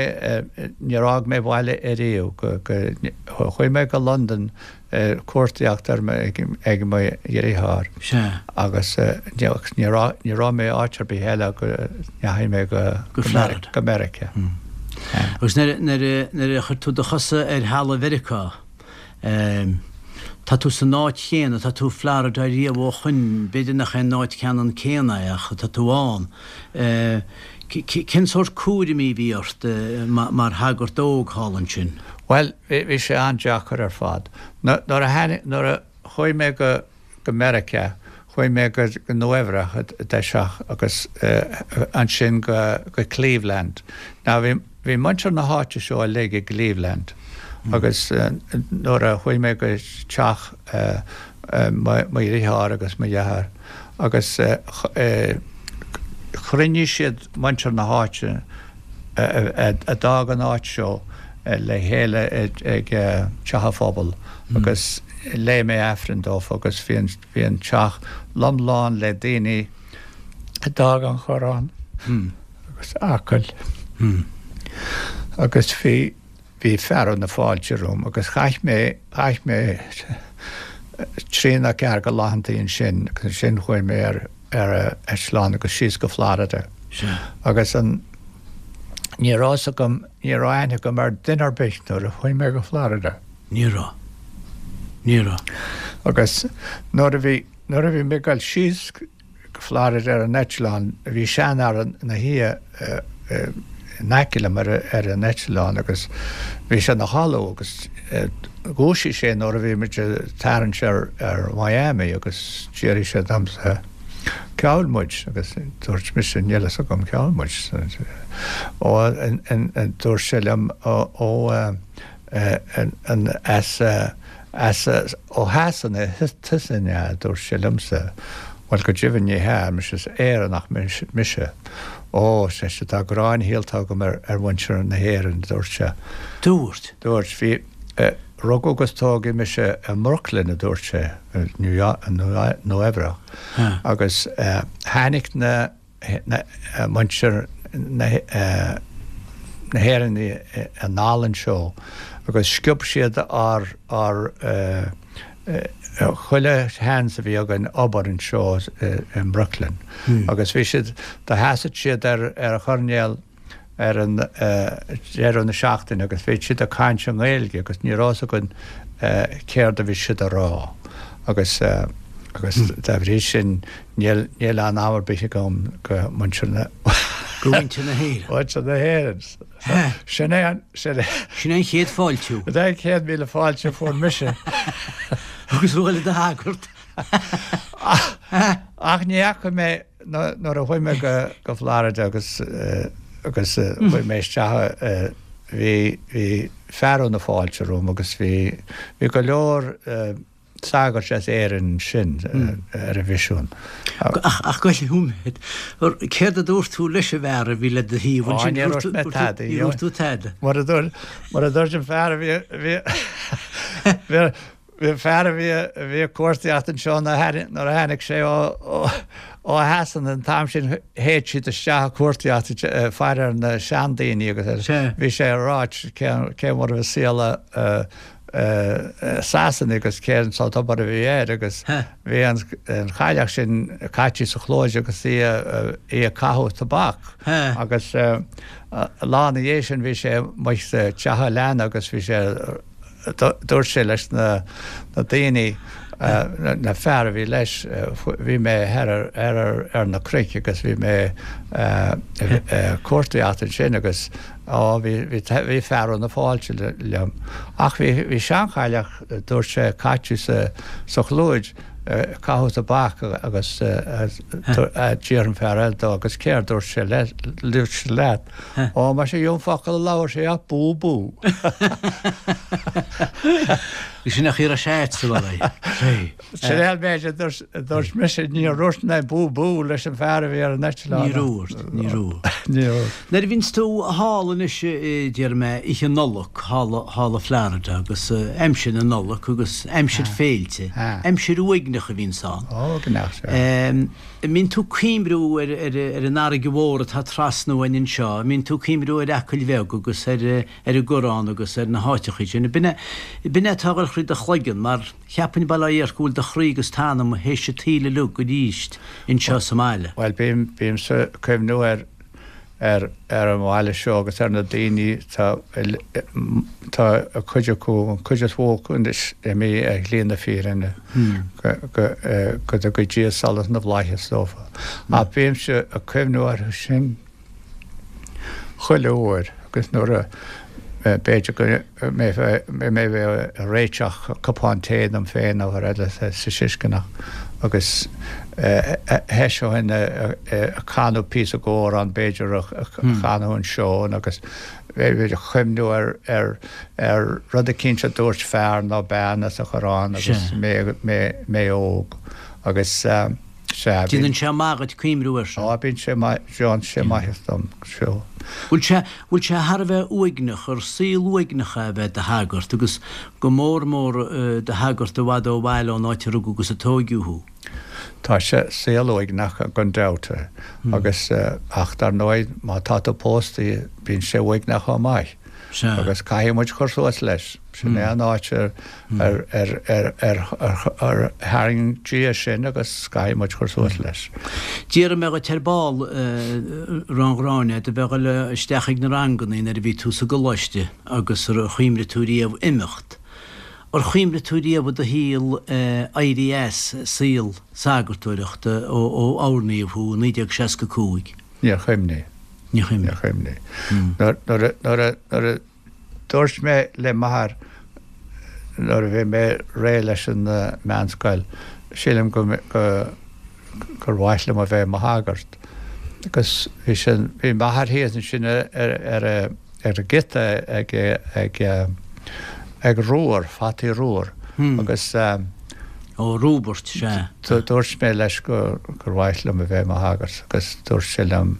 S4: níor fhág mé baile ariamh go, go, chuaigh mé go Londain cuartaíocht ar mo, ag mo dheartháir.
S2: Sea.
S4: Agus ní raibh, ní raibh mé áit ar bith eile go ndeachaigh mé go,
S2: Go Florida.
S4: go Meiriceá.
S2: Agus nuair, nuair, nuair a chuir tú do chosa ar thalamh Mheiriceá, Tá tú san áit chéanna, tá tú i Florida riamh ó shoin, b'fhéidir nach é an áit ceannann céanna é ach tá tú ann. Cén sórt cúraimí a bhí ort mar shagart óg thall ansin?
S4: Bhuel, bhí sé an-deacair ar fad. Nuair a tháinig, nuair a chuaigh mé go, go Meiriceá, chuaigh mé go Nua Eabhrac i dtosach agus ansin go, go Cleveland. Now bhí, bhí muintir na háite seo uilig i gCleveland. Agus nuair a chuaigh mé go teach mo dheartháir agus mo dhearthár agus chruinnigh siad muintir na háite a d'fhág an áit seo le chéile ag teach an phobail agus léigh mé Aifreann dófa agus bhí an bhí an teach lom lán le daoine a d'fhág an Coireán agus Acaill agus bhí Bhí fearadh na fáilte romham agus chaith mé, chaith mé trí nó ceathair de laethantaí ansin agus ansin chuaigh mé ar, ar eitleán agus síos go Florida.
S2: Sea.
S4: Agus an, ní raibh fhios agam, ní raibh aithne agam ar duine ar bith nuair a chuaigh mé go Florida.
S2: Ní raibh. Ní raibh.
S4: Agus nuair a bhí, nuair a bhí mé ag dul síos, go Florida ar an eitleán. Bhí seanfhear ina shuí in aice liom ar an eitleán agus bhí sé ina chodladh agus dhúisigh sé nuair a bhí muid ag tarraingt ar Miami agus d'fhiafraigh sé domsa cá bhfuil muid agus dúirt mise níl fhios agam cá bhfuil muid. Ó dúirt sé liom ó an as As ó Shasana tusa an ea? a dúirt sé liomsa. Bhuel, go deimhin ní hea, ar mise, is Éireannach mise. Ó, ar seisean, tá gráin shaolta agam ar mhuintir na hÉireann, a dúirt sé.
S2: Dúirt.
S4: Dúirt. Bhí, rugadh agus tógadh mise i mBrooklyn, a dúirt sé, Nua Eabhrac, agus tháinig na, muintir na hÉireann anall anseo agus sciob siad ár ár chuile sheans a bhí againn obair anseo i mBrooklyn agus bhí siad do sheasadh siad ar ar choirnéal ar an deireadh na seachtaine agus bhí siad ag caint i nGaeilge agus ní raibh fhios againn céard a bhí siad a rá agus agus dá bhrí sin níl níl anam ar bith agam go muintir na
S2: Go mhuintir na hÉireann.
S4: Muintir na hÉireann. Sin é an sin é
S2: Sin é an chéad fáiltiú.
S4: Sin é an chéad mhíle fáilte a fuair mise.
S2: Agus bhuail do shagart.
S4: Ach ní fhaca mé Nuair a chuaigh mé go Florida agus agus chuaigh mé isteach bhí bhí fearadh na fáilte romham agus bhí bhí go leor sagairt as Éirinn sin ar an mhisiún.
S2: Ach ach gabh i leith céard a dúirt tú leis an bhfear a bhí le do thaobh
S4: ansin? Níor dhúirt mé tada.
S2: Níor dhúirt tú tada.
S4: Mar a dúirt mar a dúirt an fear a bhí bhí bhí bhí an fear a bhí a bhí ag cuartaíocht anseo nuair a tháinig sé ó ó ó Shasana an t-am sin théadh siad isteach ag cuartaíocht faire ar na seandaoine agus bhí sé ag ráit cé cé mar a bhí saol Sasana agus cén sórt obair a bhí air agus bhí an chailleach sin caite sa chlós agus í í ag caitheamh tobac agus lá ina dhiaidh sin bhí sé amuigh sa teach leanna agus bhí sé dúirt sé leis na daoine, na fear a bhí leis, bhí mé thoir ar na cnoic agus bhí mé ag cuartaíocht ansin agus á bhí bhí fearadh na fáilte liom. Ach bhí bhí seanchailleach, dúirt sé, caite sa sa chlúid ag caitheamh tobac agus d'iarr an fear eile dó agus céard dúirt sé dúirt sé leat? Ó, mar sin an focal a labhair sé ach bú bú.
S2: Sin nach raibh sé sa bhaile.
S4: Sin é an méid a dúirt mise, níor dhúirt mé bú bú leis an bhfear a bhí ar an eitleán.
S2: Níor dhúirt, níor dhúirt. Níor dhúirt. Nuair a bhíonns tú thall anois, déarfaidh mé, oíche Nollag, thall, thall i Florida agus aimsir na Nollag agus aimsir féilte, aimsir uaigneach a bhíonns ann.
S4: Ó, uaigneach, sea.
S2: An mbíonn tú ag cuimriú ar, ar, ar an fharraige mhór atá trasna uainn anseo, an mbíonn tú ag cuimriú ar Acaill Bheag agus ar, ar an gCurrán agus ar na háiteachaí sin. B'in é, b'in é atá ag dul thríd do chloigeann mar cheapfainn bail ó Dhia ort go bhfuil do chroí agus t'anam théis an tsaoil uilig aríst anseo sa mbaile.
S4: Bhuel, bím, bímse ag cuimhniú ar, ar, ar an mbaile seo agus ar na daoine tá, tá cuid acu, an chuid is mó acu anois imithe ar shlí na fírinne, go, go, go dtuga Dia solas na bhflaitheas dófa. Ach bímse ag cuimhniú orthu sin. chuile uair agus nuair a b'fhéidir go mbeidh mé ag réiteach cupán tae dom féin nó rud eile sa siscneach agus thoiseoinn ag canadh píosa d'amhrán b'fhéidir a chanadh an seon agus b'fhéidir ag cuimhniú ar ar ar rud eicínt a dúirt fear nó bean as an Churrán agus mé óg agus
S2: Sea, bíonn. Déanann sé maith dhuit cuimhniú air
S4: sin. Á, bíonn sé maith, déanann sé maitheas dom, sure.
S2: Bhfuil sé, bhfuil sé thar a bheith uaigneach, ar saol uaigneach é a bheith i do shagart agus go mór mór i do shagart i bhfad ó bhaile ón áit a rugadh agus a tóigeadh thú?
S4: Tá sé saol uaigneach gan dabht agus, ach dar ndóigh má tá tú pósta bíonn sé uaigneach chomh maith.
S2: Sea.
S4: Agus caithfidh muid cur suas leis. Sin é an áit ar ar tharraing Dia sinn agus caithfidh muid cur suas leis.
S2: Déarfaidh mé dhuit ar ball, a Ron Ghráinne, do bheith ag dul isteach ag na rangannaí nuair a bhí tú sa gcoláiste agus ar chuimhnigh tú riamh imeacht. Ar chuimhnigh tú riamh i do shaol éirí as saol sagartóireachta ó oirníodh thú i naoi déag seasca cúig?
S4: Níor chuimhnigh.
S2: Níor chuimhnigh.
S4: Níor chuimhnigh. Nuair a, nuair a, nuair a dúirt mé le m'athair nuair a bhí mé réidh leis an meánscoil, sílim go, go, gur mhaith liom a bheith i mo shagart. Agus bhí sin, bhí m'athair thíos ansin ar, ar, ar an gciota ag, ag, ag romhar, fataí romhair. Agus.
S2: Ó, Roibeart, sea.
S4: Dúirt mé leis gur mhaith liom a bheith i mo shagart agus dúirt sé liom,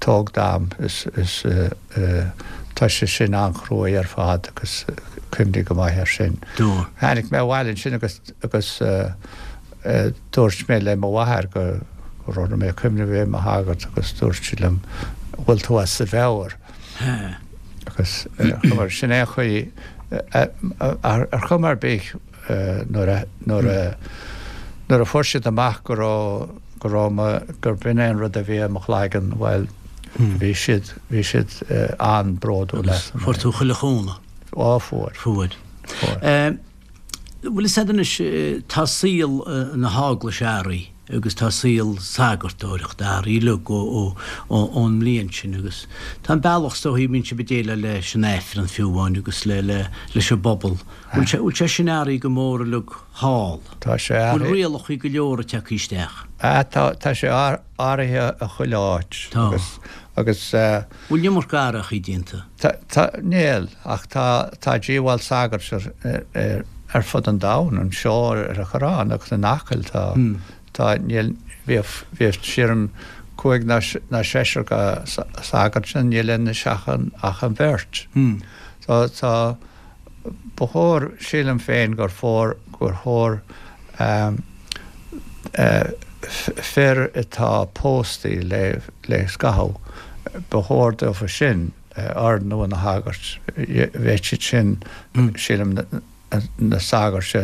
S4: tóg d'am, is, is, tá sé sin an-chruaidh ar fad agus cuimhnigh go maith air sin.
S2: Dúirt.
S4: Tháinig mé abhaile ansin agus, agus dúirt mé le mo mháthair go raibh mé ag cuimhneamh a bheith i mo shagart agus dúirt sí liom, bhfuil tú as do mheabhair? Agus sin é an chaoi, ar chuma ar bith, nuair a nuair a nuair a fuair siad amach go raibh go raibh mo gur b'in é an rud a bhí i mo chloigeann bhuel bhí siad bhí siad an-bhródúil
S2: asam. Fuair tú chuile chúnamh?
S4: Á fuair.
S2: Fuair.
S4: Fuair.
S2: Bhfuil fhios a'd anois tá saol na heaglaise athraithe agus tá saol sagartóireachta athraithe uilig ó ón mbliain sin agus tá an bealach is dóichí a mbíonn sibh ag déileáil leis an Aifreann fiú amháin agus le le leis an bpobal. Bhfuil sé bhfuil sé sin athraithe go mór uilig thall?
S4: Tá sé
S2: athraithe. Bhfuil rialacha go leor ag teacht isteach?
S4: Ah tá tá sé athraithe i chuile áit.
S2: Tá.
S4: Agus agus.
S2: Bhfuil an iomarca athrachaí déanta?
S4: Tá tá níl ach tá tá díobháil sagairt ar ar ar fud an domhain, anseo ar an Choireán agus in Acaill tá, tá, níl, bhíodh, bhíodh sílim cúig nó nó seisear de shagairt ann, níl anois ach an, ach an bheirt. So tá, ba chóir, sílim féin gur chóir, gur chóir fir atá póstaí le, le scaitheamh, ba chóir dófa sin ordnú ina shagairt, bheadh siad sin, sílim, na sagairt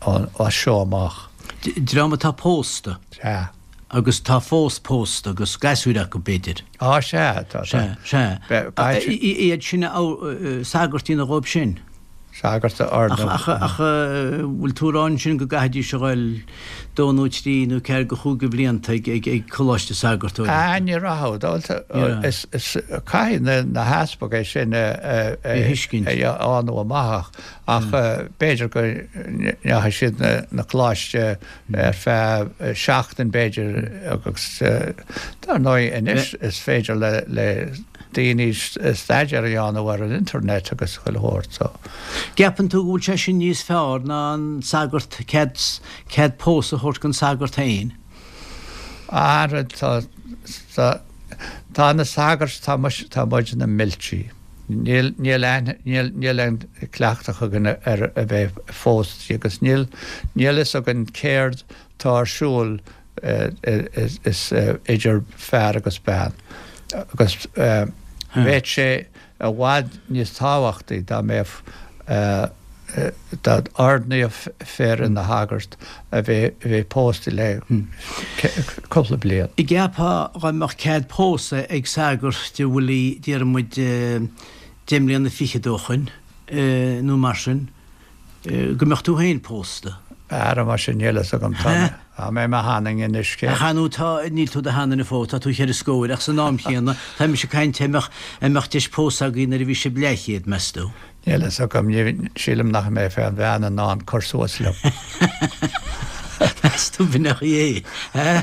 S4: as seo amach.
S2: Dream atá pósta.
S4: Sea.
S2: Agus tá fós pósta agus gasúir acu, b'fhéidir.
S4: Á, sea, tá.
S2: Sea, sea. Iad sin, sagairt a dhéanamh dhóibh sin.
S4: Sagart a ordnú.
S2: Ach, ach, bhfuil tú ag rá ansin go gcaithfidís a ghoil dó nó trí nó ceathair go chúig de bhlianta ag, ag, ag coláiste sagartóireachta?
S4: Ah, ní rachadh. Is, is, caithfidh na, na heaspaig é sin a, a, a,
S2: thuiscint.
S4: a dhéanamh amach ach, ach b'fhéidir go ndeachaigh siad na, na coláiste ar feadh seachtain b'fhéidir agus dar ndóigh anois is féidir le, le daoine staidéar a dhéanamh ar an internet agus chuile shórt so.
S2: Gceapann tú go bhfuil sé sin níos fearr ná an sagart cead cead pósadh a thabhairt don sagart féin?
S4: Ara tá tá tá na sagairt tá muis tá muid ina milsí. Níl níl aithne níl níl aon cleachtadh againn ar a bheith phósta agus níl níl fhios againn céard tá ar siúl is idir fear agus bean agus bheadh sé i bhfad níos tábhachtaí dá mbeadh dá n-ordnófaí fir ina shagart a bheith pósta le cúpla bliain.
S2: An gceapfá dá mbeadh cead pósadh ag sagart a bhfuil déarfaidh muid deich mbliana fichead ó shoin nó mar sin, go mbeadh tú féin pósta?
S4: Ara mar sin níl fhios agam tá tá mé i mo sheanduine anois cé.
S2: Ach ar ndóigh tá níl tú i do sheanduine fós tá tú cheithre scóir ach san am chéanna tá mise ag caint an mbeadh an mbeadh deis pósadh agaibh nuair a bhí sibh leathchéad meas tú?
S4: Níl fhios agam ní sílim nach mbeadh aon bhean in ann cur suas liom.
S2: Meas tú b'in é eh?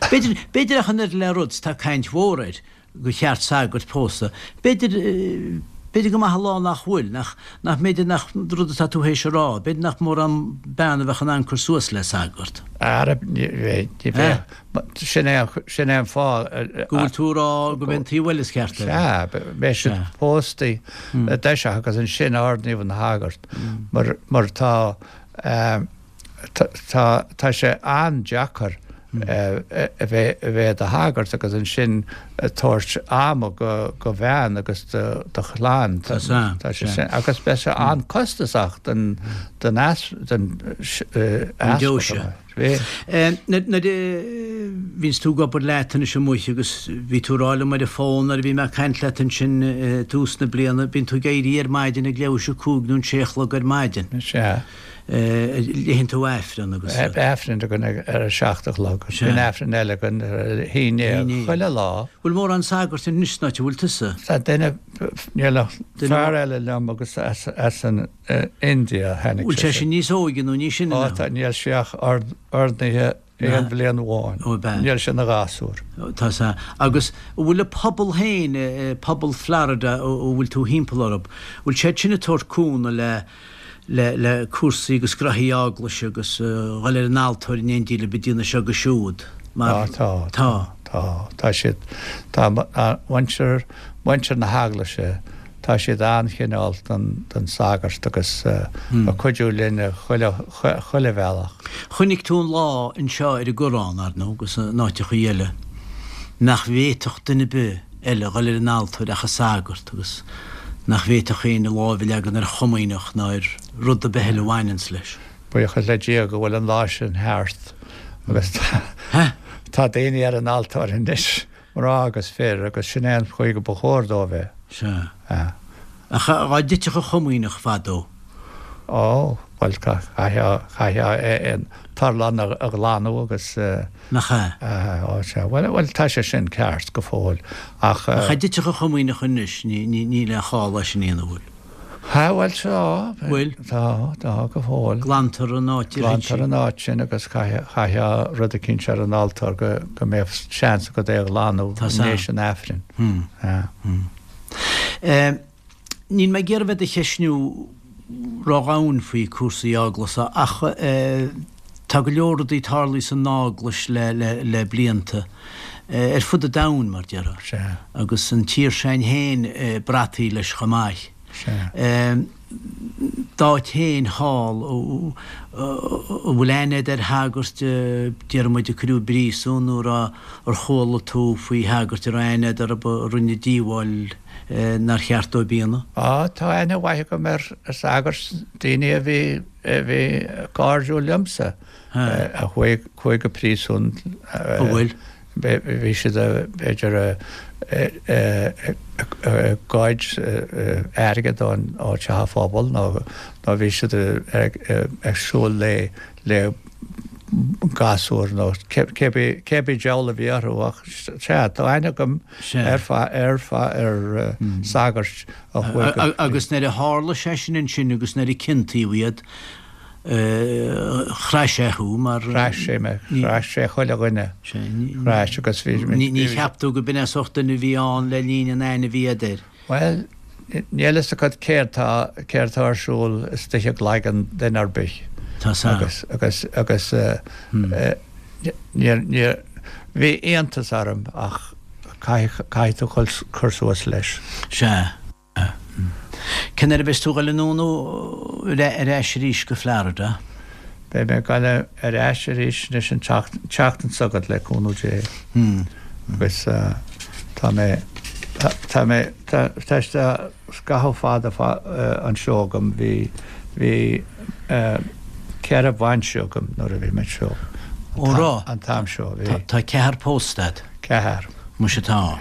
S2: B'fhéidir b'fhéidir ach an oiread le rud tá caint mhór air gur cheart sagairt pósadh. B'fhéidir, b'fhéidir go maith an lá nach bhfuil, nach, nach mb'fhéidir nach rud atá tú théis a rá, b'fhéidir nach mórán bean a bheadh in ann cur suas le sagart.
S4: Ara, ní bheidh, ní bheadh. Sin é, sin é an fáth.
S2: Go bhfuil tú a rá go mb'é an taobh eile is ceart air.
S4: Sea, beidh siad póstaí i dtoiseach agus ansin ordnaíodh ina shagart. Mar, mar tá, Tá, tá sé an-deacair a bheith a bheith i do shagart agus ansin tabhairt ama go do bhean agus do do chlann.
S2: Tá sea,
S4: Tá sé sin agus beidh sé an-costasach don don eas don
S2: An deoise.
S4: easpag. Bhí.
S2: Nuair nuair a bhíonns tú ag obair leat anois amuigh agus bhí tú ag rá liom ar an bhfón nuair a bhí mé ag caint leat ansin i dtús na bliana, bíonn tú ag éirí ar maidin ag leathuair tar éis a cúig nó an sé a chlog ar maidin.
S4: Sea.
S2: Léann tú Aifreann agus.
S4: Aifreann againn ar a seacht a chlog. Bíonn Aifreann eile againn ar a haon déag chuile lá.
S2: Bhfuil mórán sagart anois san áit a bhfuil tusa?
S4: Tá duine, níl ach fear eile liom agus as an India a tháinig
S2: sé. Bhfuil sé sin níos óige nó níos sine
S4: ná? Tá, níl sé ach ordnaithe aon bhliain amháin. Níl sé ina ghasúr.
S2: Tá sea. Agus an bhfuil an pobal féin, pobal Florida a bhfuil tú thimpeall orthu, bhfuil siad sin ag tabhairt cúnamh le le le cúrsaí agus graithí eaglaise agus dhul ar an altóir in éindí libh ag déanamh seo agus siúd mar
S4: Tá, tá,
S2: tá.
S4: tá, tá siad, tá muintir, muintir na heaglaise, tá siad an-chineálta don, don sagart agus ag cuidiú linn chuile, chuile bhealach.
S2: Chonaic tú an lá anseo ar an gCoireán, ar ndóigh, agus in áiteachaí eile, nach bhféadfadh duine ar bith eile dhul ar an altóir ach an sagart agus nach bhféadfadh éinne lámh a leagan ar chomaoineach ná ar rud ar bith eile a bhaineanns leis.
S4: Buíochas le Dia go bhfuil an lá sin thart agus tá daoine ar an altóir anois, mná agus fir, agus sin é an chaoi go ba chóir dó a bheith.
S2: Sea. Ach dhá dtitfeadh an chomaoineach fadó.
S4: Ó, bhuel, chaithfeá an t-urlár a ghlanadh agus.
S2: Nach ea?
S4: Ó, sea. Bhuel, bhuel, tá sé sin ceart go fóill, ach.
S2: Ach dhá dtitfeadh an chomaoineach anois, níl aon chall leis sin a dhéanamh, bhfuil?
S4: Ha, bhuel, tá.
S2: Bhfuil?
S4: Tá, tá, go fóill.
S2: Glantar an áit ar thit sí.
S4: Glantar an áit sin agus chaithfeá rud eicínt ar an altóir go go mbeadh seans agat é a ghlanadh
S2: Tá
S4: in éis an Aifrinn.
S2: Hmm.
S4: Hmm.
S2: Níl mé ag iarraidh bheith do cheistniú ródhomhain faoi cúrsaí eaglasa ach tá go leor rudaí tarlaithe san eaglais le le le blianta, ar fud an domhain mar déarfá.
S4: Sea.
S2: Agus an tír s'againn féin brataí leis chomh maith.
S4: Sea.
S2: D'áit féin thall, an bhfuil aithne agat ar shagairt, déarfaidh muid, a cuireadh i bpríosún nó ar chuala tú faoi shagairt a raibh aithne agat orthu a rinne díobháil nár cheart dóibh a dhéanamh?
S4: Á, tá aithne mhaith agam ar shagairt, daoine a bhí, a bhí cairdiúil liomsa, a chuaigh, chuaigh go príosún.
S2: An bhfuil?
S4: Bhí siad, b'fhéidir, ag goid airgead ón teach an phobail nó nó bhí siad ag siúl le le gasúr nó cé bith diabhal a bhí orthu ach sea, tá aithne agam ar ar ar sagairt
S2: a chuaigh Agus nuair a tharla sé sin ansin agus nuair a ciontaíodh iad, Chraith sé thú mar.
S4: Chraith sé mé, chraith sé chuile dhuine. Chraith agus
S2: bhí. Ní cheap tú go b'in é sórt duine a bhí ann le linn an aithne a bhí agat air?
S4: Bhuel, níl fhios agat céard tá, céard tá ar siúl istigh i gcloigeann duine ar bith.
S2: Tá sa.
S4: Agus, agus, agus níor, níor, bhí iontas orm ach caithfidh, caithfidh tú cur suas leis.
S2: Sea. Cén uair a bheas tú ag dul anonn ar ais arís go Florida?
S4: Beidh mé ag dul ar ais arís anois an tseachtain seo chugainn le cúnamh Dé. Agus tá mé, tá mé, tá scaitheamh fada anseo agam, bhí, bhí ceithre bhainse agam nuair a bhí mé anseo.
S2: Ó raibh?
S4: An t-am seo, bhí.
S2: Tá ceathar pósta agat?
S4: Ceathar.
S2: Muise tá.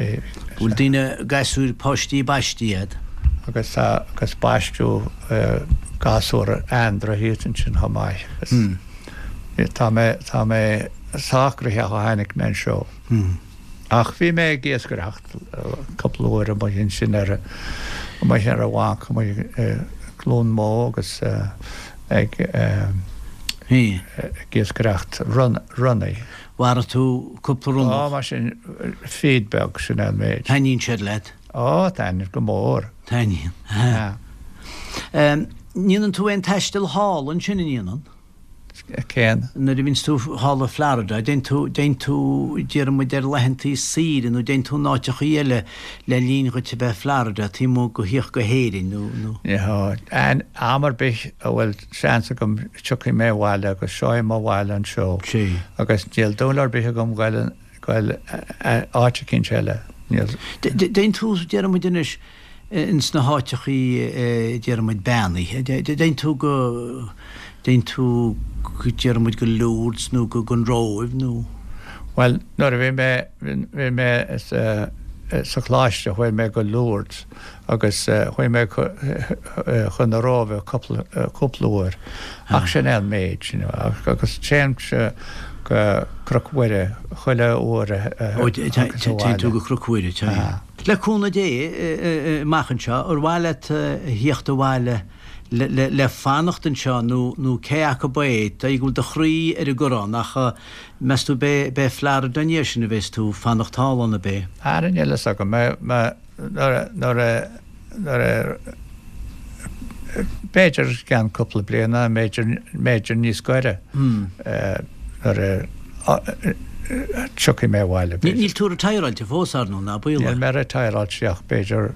S2: Bhfuil daoine, gasúir, páistí baistí agat?
S4: Agus tá, agus baisteadh gasúr Andra thíos ansin chomh maith. Agus tá mé, tá mé sách gnoitheach ó tháinig mé anseo. Ach bhí mé ag iascaireacht cúpla uair amuigh ansin ar, amuigh ar an bhanc, amuigh i gCluain Mó agus ag, ag iascaireacht ronnaigh.
S2: Mharaigh tú cúpla ronnach?
S4: Á, mar sin, feed beag, sin é an méid.
S2: Taitníonn siad leat?
S4: Á, taitníonn go mór.
S2: Taitníonn, ha. Ndéanann tú aon taisteal thall ansin, an ndéanann?
S4: Cén?
S2: Nuair a bhíonns tú thall i Florida, dtéann tú, dtéann tú, déarfaidh muid ar laethantaí saoire nó dtéann tú in áiteachaí eile le linn dhuit a bheith i Florida, taobh amuigh de thíocht go hÉirinn nó, nó.
S4: Ní, am ar bith a bhfuil seans agam tiocfaidh mé abhaile agus seo é mo bhaile anseo agus níl dúil ar bith agam goil goil áit eicínt eile. Níl.
S2: Dtéann tú, déarfaidh muid anois, ins na háiteachaí déarfaidh muid beannaithe, dtéann tú go, dtéann tú go, déarfaidh muid go Lourdes nó go an Róimh nó.
S4: Bhuel, nuair a bhí mé, bhí mé sa choláiste chuaigh mé go Lourdes agus chuaigh mé chun na Róimhe cúpla, cúpla uair ach sin é an méid, you know, agus téimse go Cnoc Mhuire chuile uair a
S2: Ó, téann tú go Cnoc Mhuire, téann. Le cúnamh Dé, amach anseo, ar mhaith leat a thíocht abhaile le fanacht anseo nó nó cé acu é, dóigh go bhfuil do chroí ar an gCoireán ach meas tú b'é b'é Florida an ndiaidh sin a bheas tú fanacht thall ann ab é?
S4: Ara níl fhios agam. Nuair a nuair a nuair a b'fhéidir i gceann cúpla bliana, b'fhéidir b'fhéidir níos gaire nuair a tiocfaidh mé abhaile
S2: b'fhéidir. Níl tú retireáilte fós ar ndóigh, ná baolach?
S4: Níl mé retireáilte ach b'fhéidir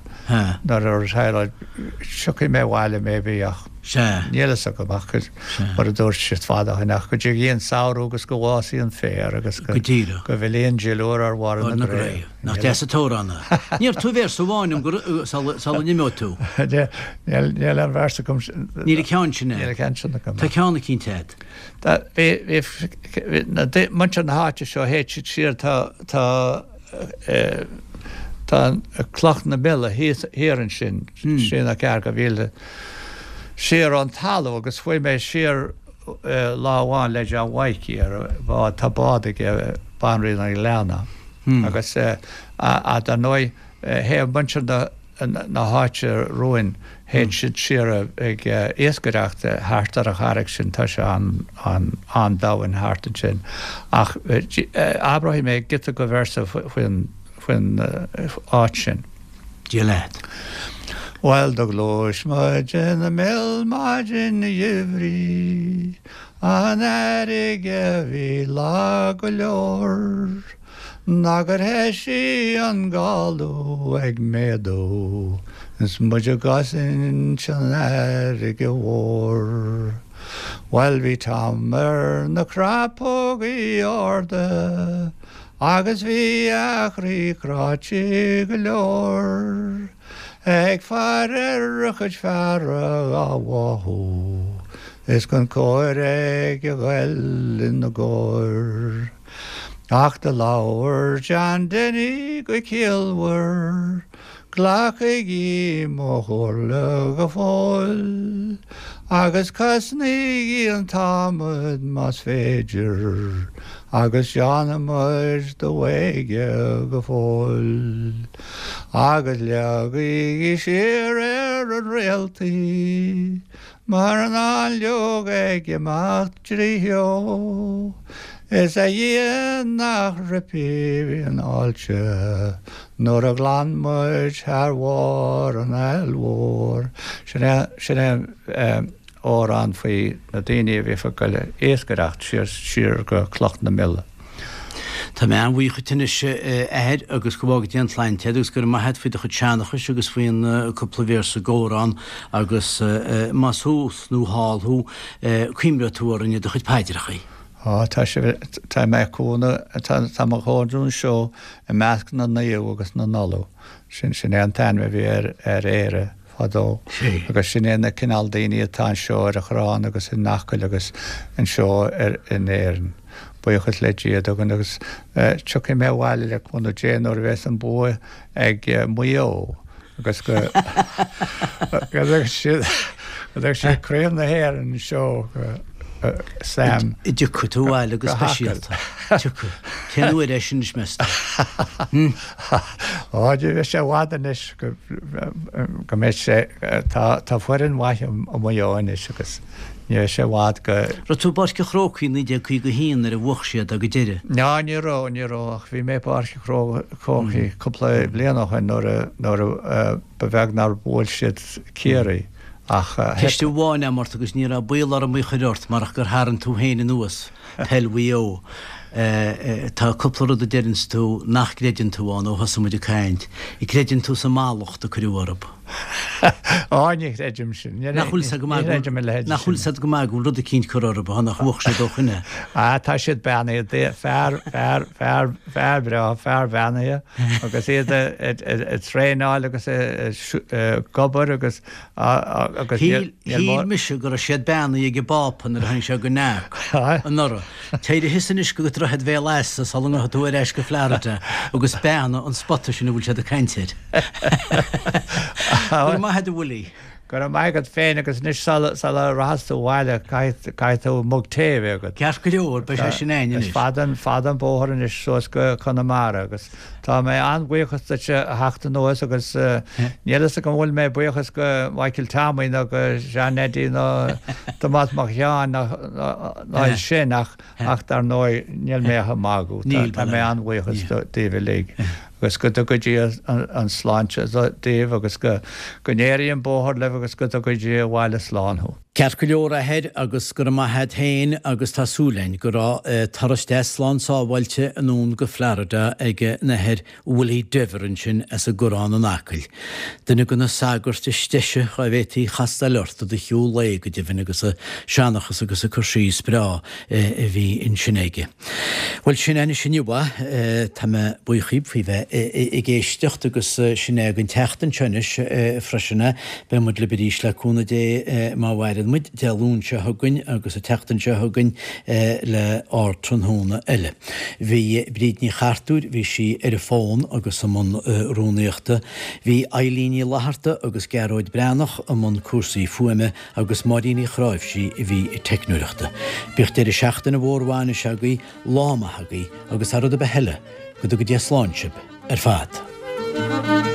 S4: nuair a retireáil tiocfaidh mé abhaile maybe ach níl fhios agam ach mar a dúirt siad fada ó shin ach go dtigidh an samhradh agus go bhfásfaidh an féar agus go bhfillfidh an duilliúr ar bharra na gcraobh.
S2: Nach deas an t-amhrán é. Ní iarrfaidh tú véarsa amháin dom go sula n-imeoidh tú.
S4: Níl níl aon véarsa agam.
S2: Níl an ceann sin
S4: Níl an ceann sin agam.
S2: Tá ceann eicínt agat.
S4: Tá bhí bhí na muintir na háite seo théid siad siar tá tá tá Cloch na Mille thíos thiar ansin trí nó ceathair de mhíle siar ón talamh agus chuaigh mé siar lá amháin le John Mhaidhcí ar bhád tá bád aige Banríon an Ghleanna. Agus dar ndóigh, théadh muintir na háite romhainn, théid siad siar ag iascaireacht thart ar an charraig sin, tá sé an-domhain thart ansin. Ach abróidh mé giota de véarsa faoin áit sin.
S2: Dia leat.
S4: Bhuel do ghluais muid ina mil maidin gheimhridh, an fharraige bhí lag go leor, ná gur thoisigh an galú ag méadú is muid i gcosaint an fharraige mhór. Bhuel bhí Tom ar na crapógaí arda agus bhí a chroí cráite go leor ag faire ar a chuid feara á bháthú is Conchúr ag a ghoil ina gcomhair. Ach do labhair John Denny go ciallmhar, Glacaigí mo chomhairle go fóill, agus cosnaígí an t-adhmad más féidir, agus déanfaidh muid do bhóige go fóill. Agus leagaigí siar ar an réaltaí, mar an fháinleog ag imeacht trí cheo. Is a Dhia nach ripfidh an fháilte nuair a ghlan muid thar bharr an Aill Mhóir. Sin é sin é amhrán faoi na daoine a bhí ag goil ag iascaireacht siar siar go Cloch na Mille.
S2: Tá mé an-bhuíoch dhuit anois a Athair agus go bhfága Dia an tsláinte agus go raibh maith agat faoi do chuid seanchais agus faoin cúpla véarsa d'amhrán agus más thuas nó thall thú cuimhneoidh tú orainn i do chuid paidreachaí.
S4: Á, tá sibh, tá mé cóna, tá, tá mo chónaí anseo i measc na naomh agus na n-ollamh. Sin, sin é an t-ainm a bhí ar, ar Éire fadó. Agus sin é na cineál daoine atá anseo ar an Chorrán agus in Acaill agus anseo ar, in Éirinn. Buíochas le Dia dúinn agus eh, tiocfaidh mé abhaile le cúnamh Dé nuair a bheas an bua ag eh, Maigh Eo agus go go mbeidh siad go mbeidh siad Craobh na hÉireann anseo go Sam.
S2: Tiocfaidh tú abhaile go speisialta. Tiocfaidh. Cén uair é sin anois meas tú?
S4: Á, ní bheidh sé i bhfad anois go go mbeidh sé tá tá foireann mhaith i Maigh Eo anois agus ní bheidh sé i bhfad go
S2: Raibh tú i bPáirc an Chrócaigh naoi déag caoga a haon nuair a bhuach siad ag an deireadh?
S4: Ná ní raibh, ní raibh ach bhí mé i bPáirc an Chrócaigh cúpla bliain ó shin nuair a nuair a ba bheag nár bhuail siad Ciarraí ach
S2: Ceist amháin agam ort agus ní raibh baol orm í a chur ort marach gur tharraing tú féin anuas peil Mhaigh Eo. Tá cúpla rud a deireanns tú nach gcreideann tú ann ó thosaigh muid ag caint. Creideann tú sa mallacht a cuireadh orthu.
S4: Á ní chreidim sin.
S2: Nach bhfuil sé go maith
S4: Ní chreidim a leithéid
S2: nach bhfuil
S4: sin.
S2: sé go maith go bhfuil rud eicínt curtha orthu nach bhuach siad ó shin é.
S4: Á tá siad beannaithe fear fear fear fear breá fear beannaithe agus iad ag traenáil agus ag obair agus agus
S2: Shíl shíl mise go raibh siad beannaithe ag an bPápa nuair a tháinig sé go Neac anuraidh. Téir thíos anois go Droichead Bhéal Easa sula ngabhfaidh tú ar ais go Florida agus beannaigh an spota sin a bhfuil siad ag caint air. Go raibh maith agat a Willie.
S4: Go raibh maith agat féin agus anois sula sula rachas tú abhaile caithfidh caithfidh tú mug tae a bheith agat.
S2: Ceart go leor, beidh sé sin againn
S4: Is
S2: anois.
S4: fada an fada an bóthar anois suas go Conamara agus tá mé an-bhuíochas duit a theacht anuas agus níl fhios agam an bhfuil mé buíochas go Michael Tommy nó go Sean Eddie nó Tomás Mac Sheáin ná ná sin ach ach dar ndóigh níl mé ach ag magadh.
S2: Níl,
S4: Tá mé an-bhuíochas daoibh uilig agus go dtuga Dia an sláinte daoibh agus go go n-éirí an bóthar libh agus go dtuga Dia abhaile slán thú.
S2: Ceart go leor a Athair agus go raibh maith agat féin agus tá súil againn go raibh turas deas slán sábháilte anonn go Florida ag an Athair Willie Denvir ansin as an gCorrán in Acaill. Duine de na sagairt is deise dhá bhféadfaí castáil ort i do shiúl lae go deimhin agus a seanchas agus a cur síos breá a bhí ansin aige. Bhuel sin é anois inniu é. Tá mé buíoch díbh faoi bheith ag éisteacht agus sin é don tseachtain seo anois freisin é. Beidh muid libh arís le cúnamh Dé má mhaireann muid Dé Luain seo chugainn agus an tseachtain seo chugainn le Ardtráthnóna eile. Bhí Bríd Ní Chartúir, bhí sí ar an bhfón agus i mbun rúnaíochta. Bhí Eilín Ní Fhlatharta agus Gearóid Breathnach i mbun cúrsaí fuaime agus Máirín Ní Chráimhsí a bhí ag teicneoireachta. Bíodh deireadh seachtaine mhór mhaith anois agaibh, lá maith agaibh agus thar rud ar bith eile, go dtuga Dia slán sibh ar fad.